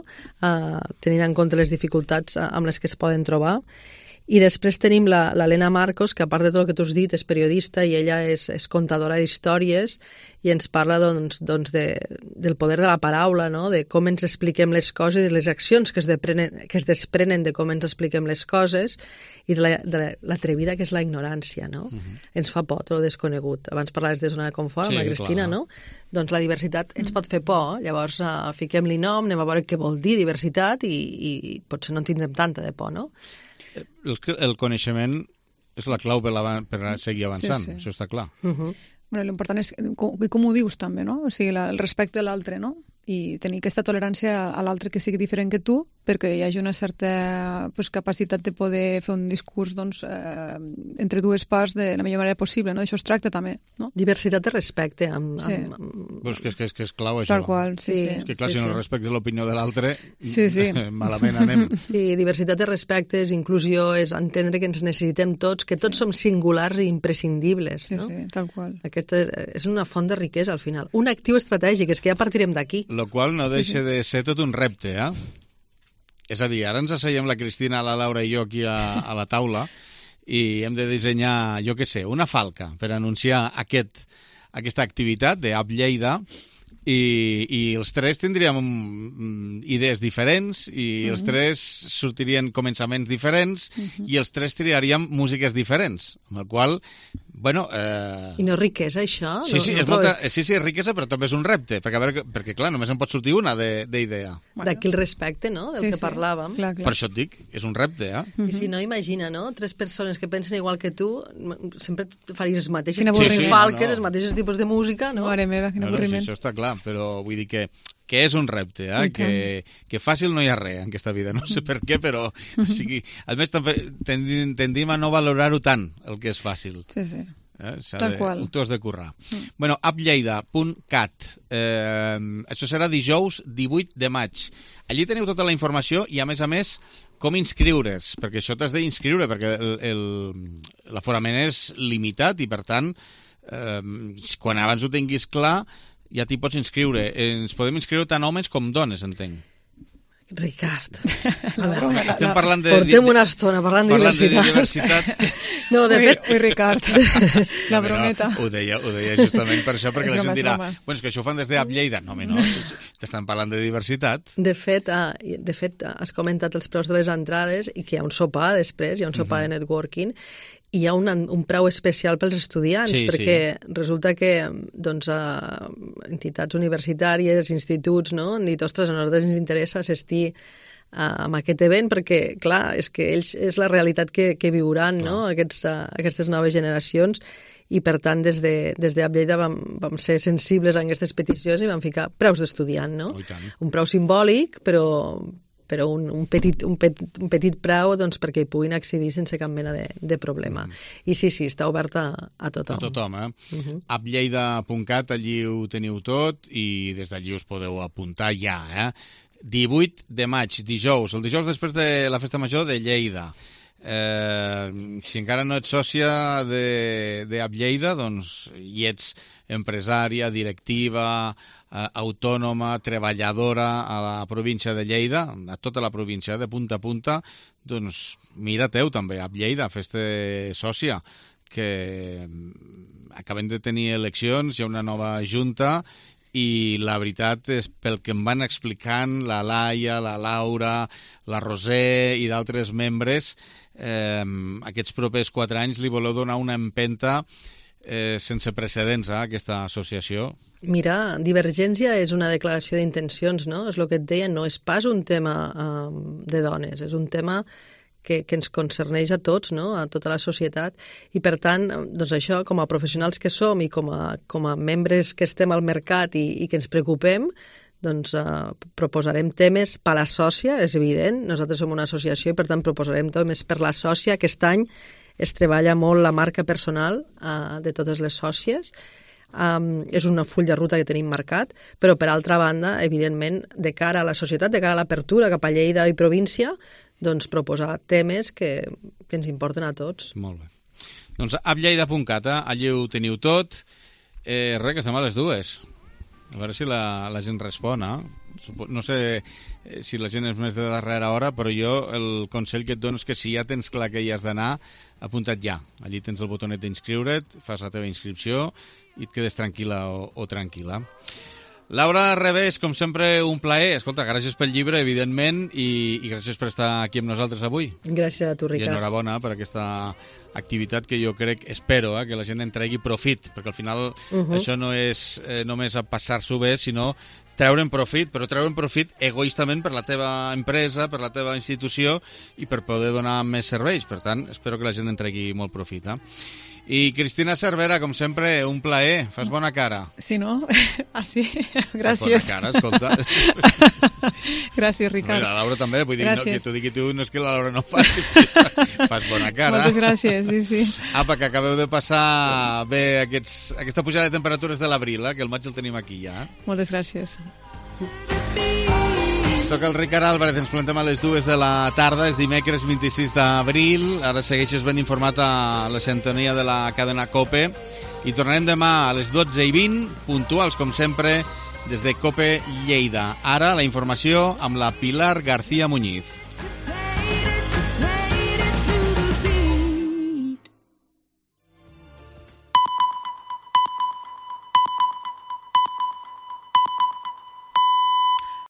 Tenint en compte les dificultats amb les que es poden trobar. I després tenim l'Helena Marcos, que a part de tot el que tu has dit és periodista i ella és contadora d'històries i ens parla del poder de la paraula, no? De com ens expliquem les coses i de les accions que es desprenen de com ens expliquem les coses i de l'atrevida que és la ignorància, no? Ens fa por tot el desconegut. Abans parlaves de zona de confort amb la Cristina, no? Doncs la diversitat ens pot fer por, llavors fiquem-li nom, anem a veure què vol dir diversitat i potser no en tindrem tanta de por, no? El coneixement és la clau per seguir avançant, sí. Això està clar. Bueno, l'important és com ho dius també, no? O sigui, el respecte a l'altre, no? I tenir aquesta tolerància a l'altre que sigui diferent que tu, perquè hi hagi una certa capacitat de poder fer un discurs entre dues parts de la millor manera possible, no? Això es tracta també, no? Diversitat de respecte. És que és clau, això. Tal qual, sí. És que clar, si no respectes l'opinió de l'altre, sí. malament anem. Sí, diversitat de respecte, és inclusió, és entendre que ens necessitem tots, que tots som singulars i imprescindibles, no? Sí, tal qual. Aquesta és una font de riquesa, al final. Un actiu estratègic, és que ja partirem d'aquí. Lo qual no deixa de ser tot un repte, És a dir, ara ens asseiem la Cristina, la Laura i jo aquí a la taula i hem de dissenyar, jo què sé, una falca per anunciar aquesta activitat d'App Lleida i els 3 tindríem idees diferents i els 3 sortirien començaments diferents i els 3 triaríem músiques diferents, amb la qual bueno... I no és riquesa, això? Sí, és riquesa, però també és un repte, perquè clar, només en pot sortir una d'idea. D'aquí el respecte, no?, del que parlàvem. Clar. Per això et dic, és un repte, I si no, imagina, no?, 3 persones que pensen igual que tu, sempre faries els mateixos falques, els mateixos tipus de música, no? Mare meva, quin avorriment. Sí, això està clar, però vull dir que és un repte, que fàcil no hi ha res en aquesta vida, no sé per què, però o sigui, a més tendim a no valorar-ho tant, el que és fàcil. Sí. Tal qual. T'ho has de currar. Bueno, applleida.cat. Això serà dijous 18 de maig. Allí teniu tota la informació i, a més, com inscriure's, perquè això t'has d'inscriure, perquè l'aforament és limitat i, per tant, quan abans ho tinguis clar, ja t'hi pots inscriure. Ens podem inscriure tant homes com dones, entenc. Ricard, estem parlant de... Portem una estona parlant de diversitat. No, de fet... Ui, Ricard, la brometa. Ho deia justament per això, perquè la gent dirà, bueno, és que això ho fan des d'App Lleida. No, t'estan parlant de diversitat. De fet, has comentat els preus de les entrades i que hi ha un sopar després, hi ha un sopar de networking, i hi ha un preu especial pels estudiants, perquè resulta que entitats universitàries, instituts, no?, han dit, ostres, a nosaltres ens interessa assistir amb aquest event, perquè, clar, és que ells és la realitat que viuran, no?, aquestes noves generacions, i per tant des d'App Lleida vam ser sensibles a aquestes peticions i vam ficar preus d'estudiant, no? Un preu simbòlic, però un petit preu perquè hi puguin accedir sense cap mena de problema. I sí, està obert a tothom. A tothom, applleida.cat, allí ho teniu tot i des d'allí us podeu apuntar ja, 18 de maig, dijous, el dijous després de la Festa Major de Lleida. Si encara no ets sòcia d'App Lleida, doncs hi ets empresària, directiva, autònoma, treballadora a la província de Lleida, a tota la província, de punta a punta, doncs mira-teu també, App Lleida, fes-te sòcia, que acabem de tenir eleccions, hi ha una nova junta, i la veritat és, pel que em van explicant la Laia, la Laura, la Roser i d'altres membres, aquests propers 4 anys li voleu donar una empenta sense precedents a aquesta associació. Mira, Divergència és una declaració d'intencions, no? És el que et deia, no és pas un tema de dones, és un tema que ens concerneix a tots, no? A tota la societat, i per tant, doncs això, com a professionals que som i com a membres que estem al mercat i que ens preocupem, doncs proposarem temes per a la sòcia, és evident, nosaltres som una associació i per tant proposarem temes per la sòcia. Aquest any es treballa molt la marca personal de totes les sòcies, és un full de ruta que tenim marcat, però per altra banda, evidentment, de cara a la societat, de cara a l'apertura cap a Lleida i província, doncs proposar temes que ens importen a tots. Molt bé. Doncs applleida.cat, allí ho teniu tot. Res, que estem a les 2. A veure si la gent respon, No sé si la gent és més de darrera hora, però jo el consell que et dono és que si ja tens clar que hi has d'anar, apunta't ja. Allí tens el botonet d'inscriure't, fas la teva inscripció i et quedes tranquil·la o tranquil·la. Laura Revés, com sempre, un plaer. Escolta, gràcies pel llibre, evidentment, i gràcies per estar aquí amb nosaltres avui. Gràcies a tu, Ricard. I enhorabona per aquesta activitat que jo crec, espero, que la gent en tregui profit, perquè al final això no és només a passar-s'ho bé, sinó treure'n profit, però treure'n profit egoistament per la teva empresa, per la teva institució i per poder donar més serveis. Per tant, espero que la gent en tregui molt profit. I Cristina Cervera, com sempre, un plaer. Fas bona cara. Sí, no? Ah, sí? Gràcies. Fas bona cara, escolta. Gràcies, Ricard. La Laura també, vull dir, no, que t'ho digui tu, no és que la Laura no faci, fas bona cara. Moltes gràcies, sí. Apa, que acabeu de passar bé aquesta pujada de temperatures de l'abril, que el maig el tenim aquí ja. Moltes gràcies. Soc el Ricard Álvarez, ens plantem a les 2 de la tarda, és dimecres 26 d'abril, ara segueixes ben informat a la sintonia de la cadena COPE i tornarem demà a les 12:20, puntuals com sempre, des de COPE Lleida. Ara la informació amb la Pilar García Muñiz.